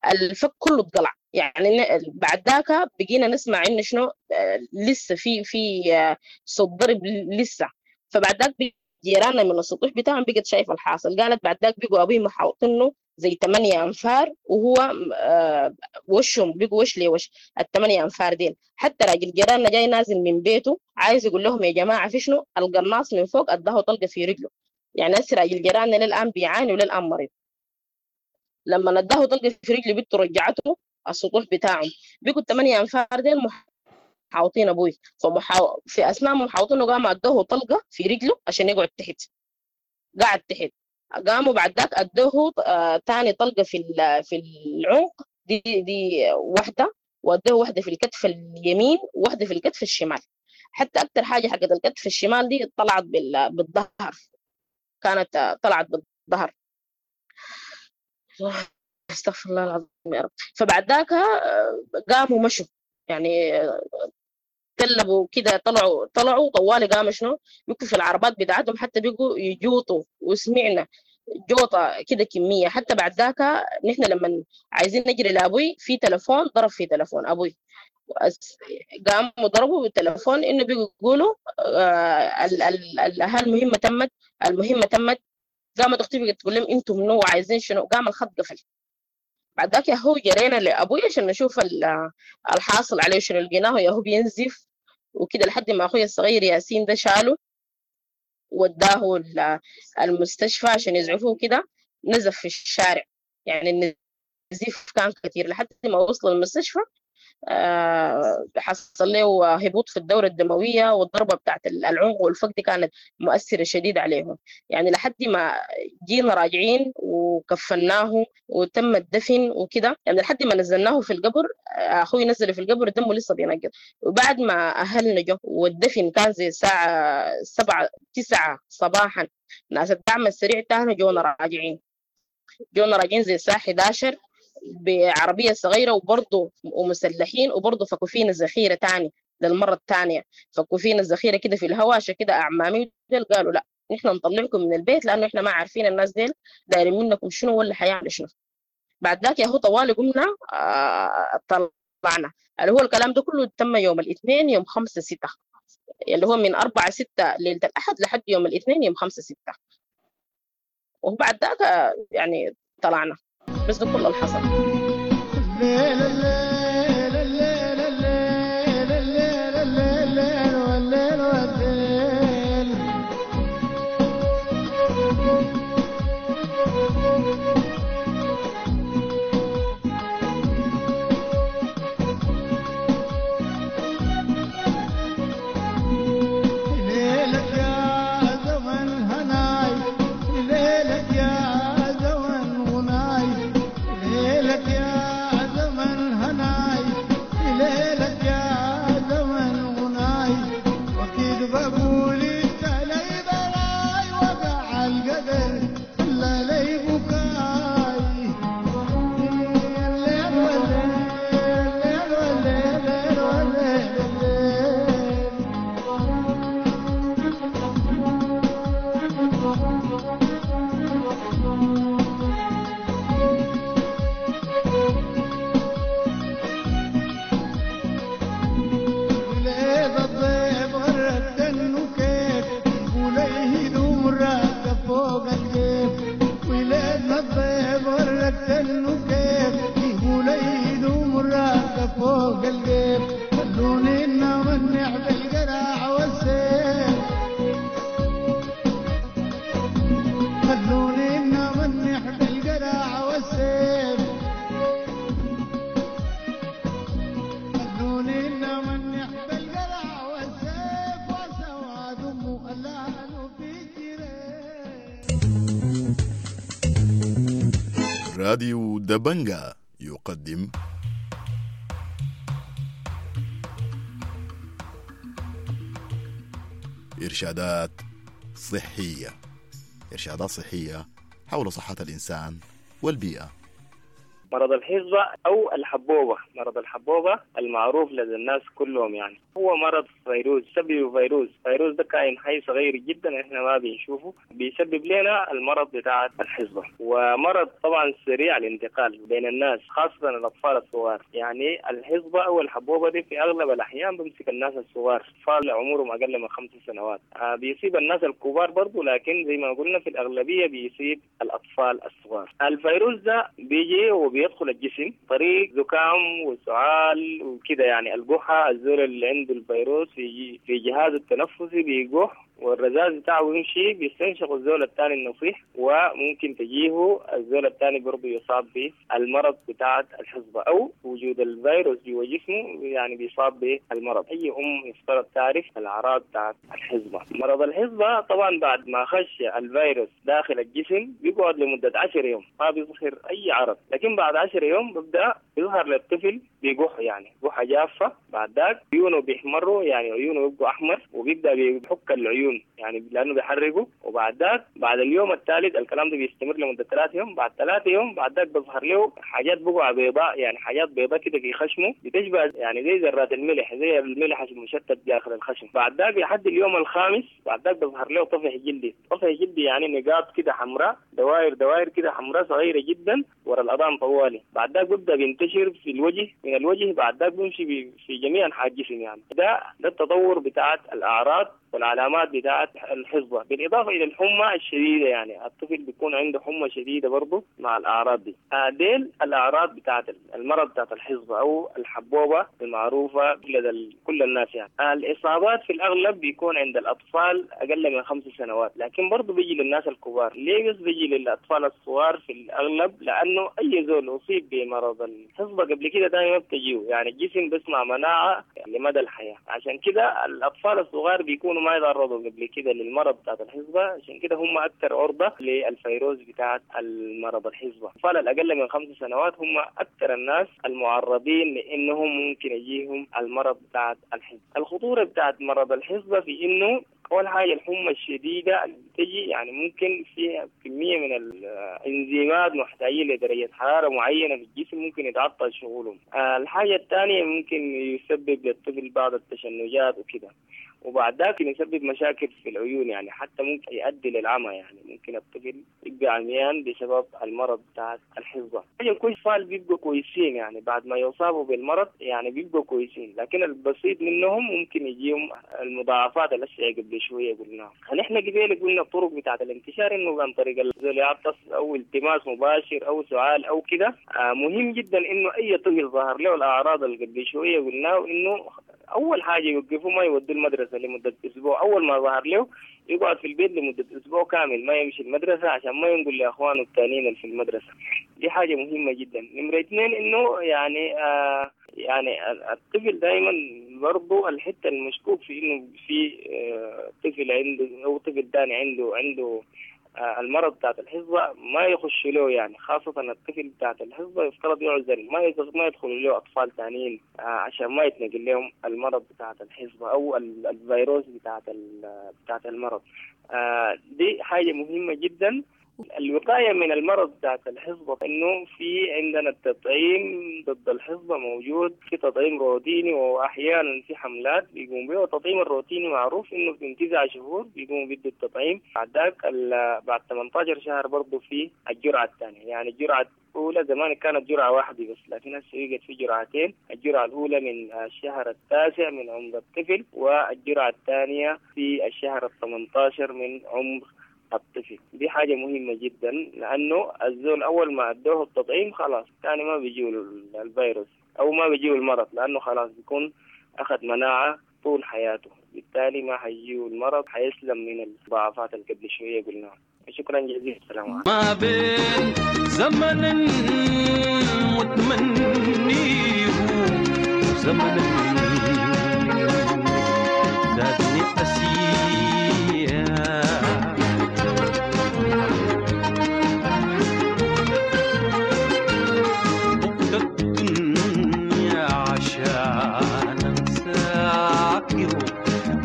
الفك كله اتقلع. يعني بعد ذاك بقينا نسمع انه شنو لسه في صوت ضرب لسه. فبعد ذاك جيراننا من السطوح بتاعهم بقت شايفه الحاصل، قالت بعد ذاك بقوا ابوي محاوطينه زي 8 انفار، وهو وشهم بقوا وش لوش ال8 انفار ديل. حتى راجل جيراننا جاي نازل من بيته عايز يقول لهم يا جماعة في شنو، القناص من فوق اداه طلقه في رجله. يعني هسه راجل جيراننا للان بيعاني وللان مريض. لما نداه طلقه في رجله بنته رجعته السطوح بتاعهم، بقوا ال8 انفار ديل محاوطين ابوي. في اثناء ما محاوطينه قام ادوه طلقه في رجله عشان يقعد تحت، قعد تحت. قاموا بعد ذاك ادوه ثاني طلقه في العنق، دي واحدة، وادوه واحدة في الكتف اليمين وواحدة في الكتف الشمال. حتى اكثر حاجة حقت الكتف الشمال دي طلعت بالظهر، كانت طلعت بالظهر. استغفر الله العظيم يا رب. فبعد ذاك قاموا مشوا، يعني تلبوا كده، طلعوا طوالي قاموا شنو بيكوا في العربات بتاعتهم، حتى بيقوا يجوطوا، وسمعنا جوطة كده كمية. حتى بعد ذاك نحن لما عايزين نجري لأبوي في تلفون ضرب في تلفون أبوي، قاموا ضربوا بالتلفون إنه بيقوا يقولوا المهمة تمت، المهمة تمت. قامت أختي بقت تقول لهم أنتم منو وعايزين شنو، قام الخط قفل. بعد ذاك يا هو جرينا لأبوي عشان نشوف الحاصل عليه شنو، لقيناه يا هو بينزف وكده، لحد ما أخوي الصغير ياسين ده شاله وداه المستشفى عشان يزعفوه كده. نزف في الشارع، يعني النزيف كان كثير لحد ما وصل المستشفى. حصل له هبوط في الدورة الدموية، والضربة بتاعت العنق والفك دي كانت مؤثرة شديد عليهم. يعني لحد ما جينا راجعين وكفناه وتم الدفن وكده، يعني لحد ما نزلناه في القبر، أخوي نزله في القبر دمه لسه بينقط. وبعد ما أهلنا جو والدفن كان زي الساعة 7-9 صباحا، ناس الدعم السريع تاني جونا راجعين زي الساعة 11 بعربية صغيرة، وبرضه ومسلحين، وبرضه فكوا فينا ذخيرة تاني للمرة الثانية، فكوا فينا الذخيرة كده في الهواء. عشان كده أعمامي ديل قالوا لا نحن نطلعكم من البيت، لأنه إحنا ما عارفين الناس ديل دايرين منكم شنو ولا حيعملوا شنو. بعد ذاك يا هو طوالي قمنا طلعنا. اللي هو الكلام ده كله تم يوم الاثنين يوم 5/6، اللي هو من 4/6 ليلة الأحد لحد يوم الاثنين يوم 5/6. وبعد ذاك يعني طلعنا. بس ده كل اللي حصل. ليلك يا زمن هناي، ليلك يا زمن غناي. راديو دبنجا يقدم إرشادات صحية. إرشادات صحية حول صحة الإنسان والبيئة. مرض الحصبة أو الحبوبة، مرض الحبوبة المعروف لدى الناس كلهم، يعني هو مرض فيروس، سببه فيروس. فيروس ده كائن حي صغير جدا احنا ما بنشوفه، بيسبب لنا المرض بتاع الحصبة. ومرض طبعا سريع الانتقال بين الناس خاصة الأطفال الصغار. يعني الحصبة أو الحبوبة دي في أغلب الأحيان بمسك الناس الصغار، أطفال عمرهم أقل من 5 سنوات. بيصيب الناس الكبار برضو، لكن زي ما قلنا في الأغلبية بيصيب الأطفال الصغار. الفيروس ده بيجي وبيدخل الجسم طريق زكام وسعال وكده، يعني القحة. الزول اللي عنده الفيروس في جهازه التنفسي بيقح، والرذاذ بتاعه يمشي بيستنشق الزول الثاني النصيح، وممكن تجيه الزول الثاني برضه يصاب بالمرض بتاعة الحصبة، أو وجود الفيروس جوا جسمه يعني بيصاب بالمرض. أي أم يفترض تعرف الأعراض بتاعة الحصبة. مرض الحصبة طبعا بعد ما خش الفيروس داخل الجسم بيقعد لمدة 10 يوم ما بيظهر أي عرض، لكن بعد 10 يوم بيبدأ يظهر للطفل بيقح، يعني قحة جافة. بعد ذاك عيونه بيحمروا، يعني عيونه بيبقوا أحمر، وبيبدأ بيحك العيون يعني لأنه بيحرقه. وبعد ذاك بعد اليوم الثالث، الكلام ده بيستمر لمدة 3 يوم. بعد 3 يوم بعد ذاك بيظهر له حاجات بقع بيضاء، يعني حاجات بيضاء كده في خشمه بتشبه يعني زي ذرات الملح، زي الملح المشتت داخل الخشم. بعد ذاك لحد اليوم الخامس بعد ذاك بيظهر له طفح جلدي. طفح جلدي يعني نقاط كده حمراء، دوائر دوائر كده حمراء صغيرة جدا ورا الأذان طوالي. بعد ذاك بيبدأ بينتشر في الوجه، من الوجه بعد ذاك بيمشي في جميع أنحاء الجسم. يعني ده التطور بتاعت الأعراض والعلامات بتاعت الحصبة، بالإضافة إلى الحمى الشديدة. يعني الطفل بيكون عنده حمى شديدة برضه مع الأعراض دي. ديل الأعراض بتاعت المرض بتاعت الحصبة أو الحبوبة المعروفة لدى كل الناس. يعني الإصابات في الأغلب بيكون عند الأطفال أقل من 5 سنوات، لكن برضه بيجي للناس الكبار. ليه بس بيجي للأطفال الصغار في الأغلب؟ لأنه أي زول أصيب بمرض الحصبة قبل كده دائما بتجيه، يعني الجسم بيصنع مناعة لمدى الحياة. عشان كده الأطفال الصغار بيكونوا ما يتعرضوا قبل كده للمرض بتاعت الحصبة، عشان كده هم أكثر عرضة للفيروس بتاعت المرض الحصبة. الأطفال الأقل من 5 سنوات هم أكثر الناس المعرضين لأنهم ممكن يجيهم المرض بتاعت الحصبة. الخطورة بتاعت مرض الحصبة في إنه أول حاجة الحمى الشديدة اللي بتجي، يعني ممكن فيها كمية من الإنزيمات محتاجين لدرجة حرارة معينة في الجسم ممكن يتعطل شغلهم. الحاجة الثانية ممكن يسبب للطفل بعض التشنجات وكده، وبعد ذاك يسبب مشاكل في العيون، يعني حتى ممكن يؤدي للعمى، يعني ممكن الطفل يبقى عميان بسبب المرض بتاع الحصبة. كل أطفال بيبقوا كويسين يعني بعد ما يصابوا بالمرض، يعني بيبقوا كويسين، لكن البسيط منهم ممكن يجيهم المضاعفات الأشياء قبل شوية قلناها. نحن قبل قلنا الطرق بتاعة الانتشار إنه عن طريق الزول يعطس أو التماس مباشر أو سعال أو كده. مهم جدا إنه أي طفل ظهر له الأعراض اللي قبل شوية قلناه إنه أول حاجة يوقفوا ما يودوا المدرسة لمدة أسبوع. أول ما ظهر له يقعد في البيت لمدة أسبوع كامل، ما يمشي المدرسة عشان ما ينقل لأخوانه الثانيين اللي في المدرسة. دي حاجة مهمة جدا. نمرة 2 إنه يعني يعني الطفل دائما برضو الحتة المشكوك في إنه في طفل عنده أو طفل ثاني عنده المرض بتاعت الحصبة ما يخش له، يعني خاصة الطفل بتاعت الحصبة يفترض يعزل، ما يدخل له أطفال ثانيين عشان ما يتنقل لهم المرض بتاعت الحصبة أو الفيروس بتاعت المرض. دي حاجة مهمة جدا. الوقاية من المرض بتاعت الحصبة إنه في عندنا التطعيم ضد الحصبة موجود، في تطعيم روتيني وأحيانا في حملات بيقوم به. والتطعيم الروتيني معروف إنه من 9 شهور بيقوموا بيدوا التطعيم، بعد ذاك بعد 18 شهر برضه في الجرعة الثانية. يعني الجرعة الأولى زمان كانت جرعة واحدة بس، لكن هسه بقت في جرعتين، الجرعة الأولى من الشهر 9 من عمر الطفل، والجرعة الثانية في الشهر 18 من عمر الطفل. دي حاجة مهمة جدا، لأنه الزول أول ما أدوه التطعيم خلاص ثاني ما بيجيه الفيروس أو ما بيجيه المرض، لأنه خلاص بيكون أخذ مناعة طول حياته، بالتالي ما حيجيه المرض، حيسلم من المضاعفات اللي قبل شوية قلناها. شكرا جزيلا، السلام عليكم. ما بين زمن متمنيه وزمن زادني أسيا.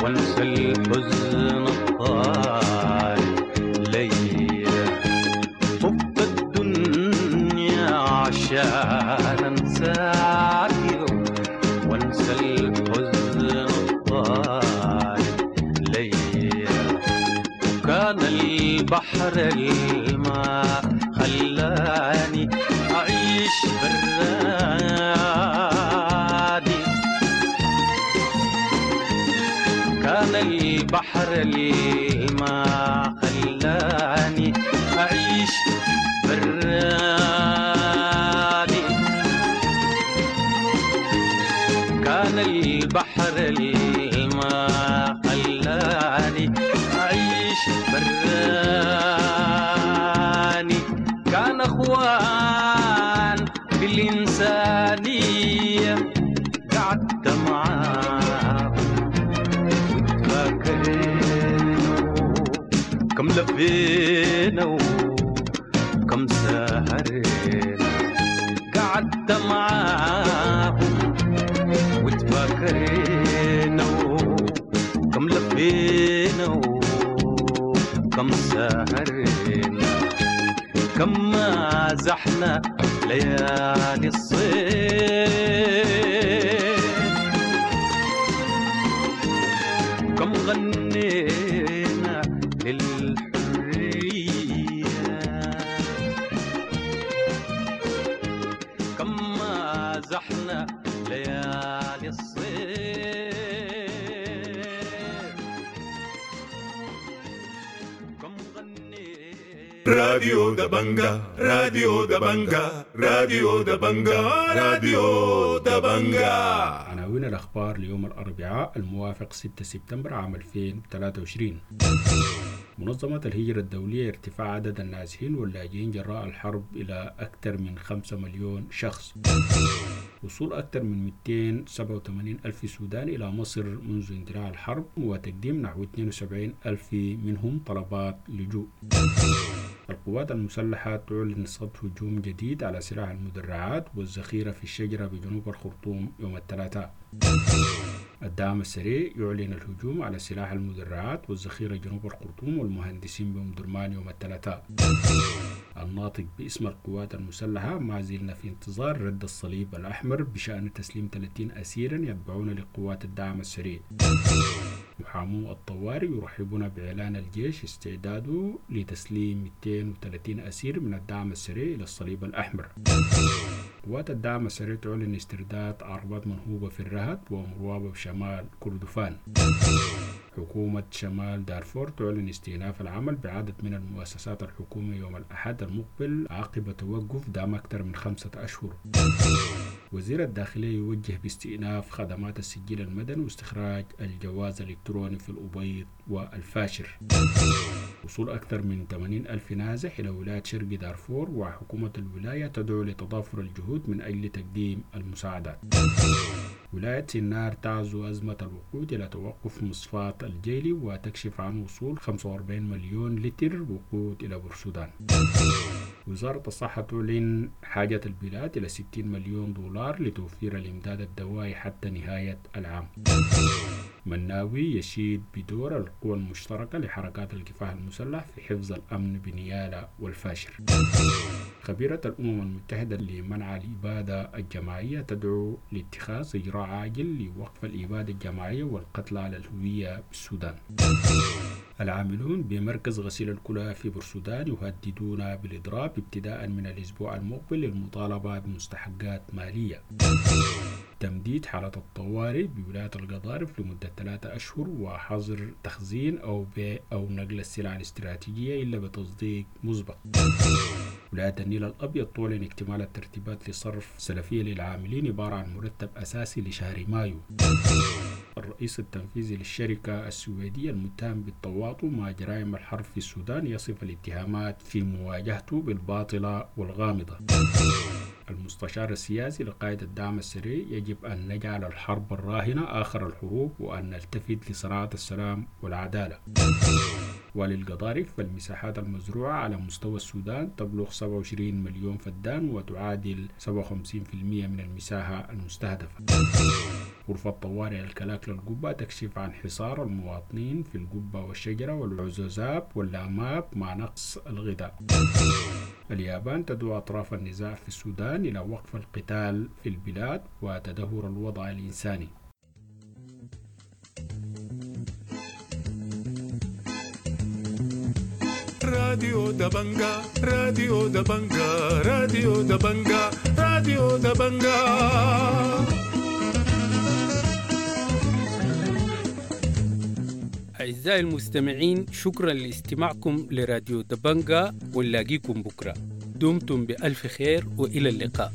وانسى الحزن الطاري لي. طب الدنيا عشان انساك وانسى الحزن الطاري لي. وكان البحر الماء خلاني أعيش براني، كان البحر الماء خلاني أعيش براني، كان البحر الماء خلاني أعيش براني. كان أخوان بالإنسانية قعدت معاهم وتفاكرنا، كم لفينا وكم سهرنا، قعدت معاهم وتفاكرنا، كم لفينا وكم سهرنا، كم مازحنا ليالي الصيف، كم غنينا للحرية، كم مازحنا ليالي الصيف، كم راديو دبنجا، راديو دبنجا، راديو دبنجا، راديو دبنجا. عناوين الأخبار ليوم الأربعاء الموافق 6 سبتمبر عام 2023. منظمة الهجرة الدولية ارتفاع عدد النازحين واللاجئين جراء الحرب إلى أكثر من 5 مليون شخص. وصول أكثر من 287 ألف سوداني إلى مصر منذ اندلاع الحرب، وتقديم نحو 72 ألف منهم طلبات لجوء. القوات المسلحة تعلن صد هجوم جديد على سلاح المدرعات والذخيرة في الشجرة بجنوب الخرطوم يوم الثلاثاء. الدعم السريع يعلن الهجوم على سلاح المدرعات والذخيرة جنوب الخرطوم والمهندسين بأم درمان يوم الثلاثاء. الناطق باسم القوات المسلحة: ما زلنا في انتظار رد الصليب الأحمر بشأن تسليم 30 أسيرا يتبعون لقوات الدعم السريع. محامو الطوارئ يرحبون بإعلان الجيش استعداده لتسليم 230 أسير من الدعم السريع إلى الصليب الأحمر. قوات الدعم السريع تعلن استرداد عربات منهوبة في الرهد ومروابة بشمال كردفان. حكومة شمال دارفور تعلن استئناف العمل بعدد من المؤسسات الحكومية يوم الأحد المقبل عقب توقف دام أكثر من 5 أشهر. وزير الداخلية يوجه باستئناف خدمات السجل المدني واستخراج الجواز الإلكتروني في الأبيض والفاشر. وصول أكثر من 80 ألف نازح إلى ولاية شرق دارفور، وحكومة الولاية تدعو لتضافر الجهود من أجل تقديم المساعدات. ولاية سنار تعزو أزمة الوقود إلى توقف مصفاة الجيلي وتكشف عن وصول 45 مليون لتر وقود إلى بورسودان. وزارة الصحة تعلن حاجة البلاد إلى 60 مليون دولار لتوفير الإمداد الدوائي حتى نهاية العام. مناوي يشيد بدور القوى المشتركة لحركات الكفاح المسلح في حفظ الأمن بنيالا والفاشر. خبيرة الأمم المتحدة لمنع الإبادة الجماعية تدعو لاتخاذ إجراء عاجل لوقف الإبادة الجماعية والقتل على الهوية بالسودان. العاملون بمركز غسيل الكلى في بورسودان يهددون بالإضراب ابتداء من الأسبوع المقبل للمطالبة بمستحقات مالية. تمديد حالة الطوارئ بولاية القضارف لمدة 3 أشهر وحظر تخزين أو بيع أو نقل السلع الاستراتيجية إلا بتصديق مسبق. ولاية النيل الأبيض تعلن اكتمال الترتيبات لصرف سلفية للعاملين عبارة عن مرتب أساسي لشهر مايو. الرئيس التنفيذي للشركة السويدية المتهم بالتواطؤ مع جرائم الحرب في السودان يصف الاتهامات في مواجهته بالباطلة والغامضة. المستشار السياسي لقائد الدعم السريع: يجب أن نجعل الحرب الراهنة آخر الحروب وأن نلتفت لصناعة السلام والعدالة. وللقضارف فالمساحات المزروعة على مستوى السودان تبلغ 27 مليون فدان وتعادل 57% من المساحة المستهدفة. غرفة طوارئ الكلاكلة القبة تكشف عن حصار المواطنين في القبة والشجرة والعزوزاب واللاماب مع نقص الغذاء. اليابان تدعو أطراف النزاع في السودان إلى وقف القتال في البلاد وتدهور الوضع الإنساني. راديو دبنجا، راديو دبنجا، راديو دبنجا، راديو دبنجا. أعزائي المستمعين، شكرا لاستماعكم لراديو دبنجا، ونلاقيكم بكرة. دمتم بألف خير وإلى اللقاء.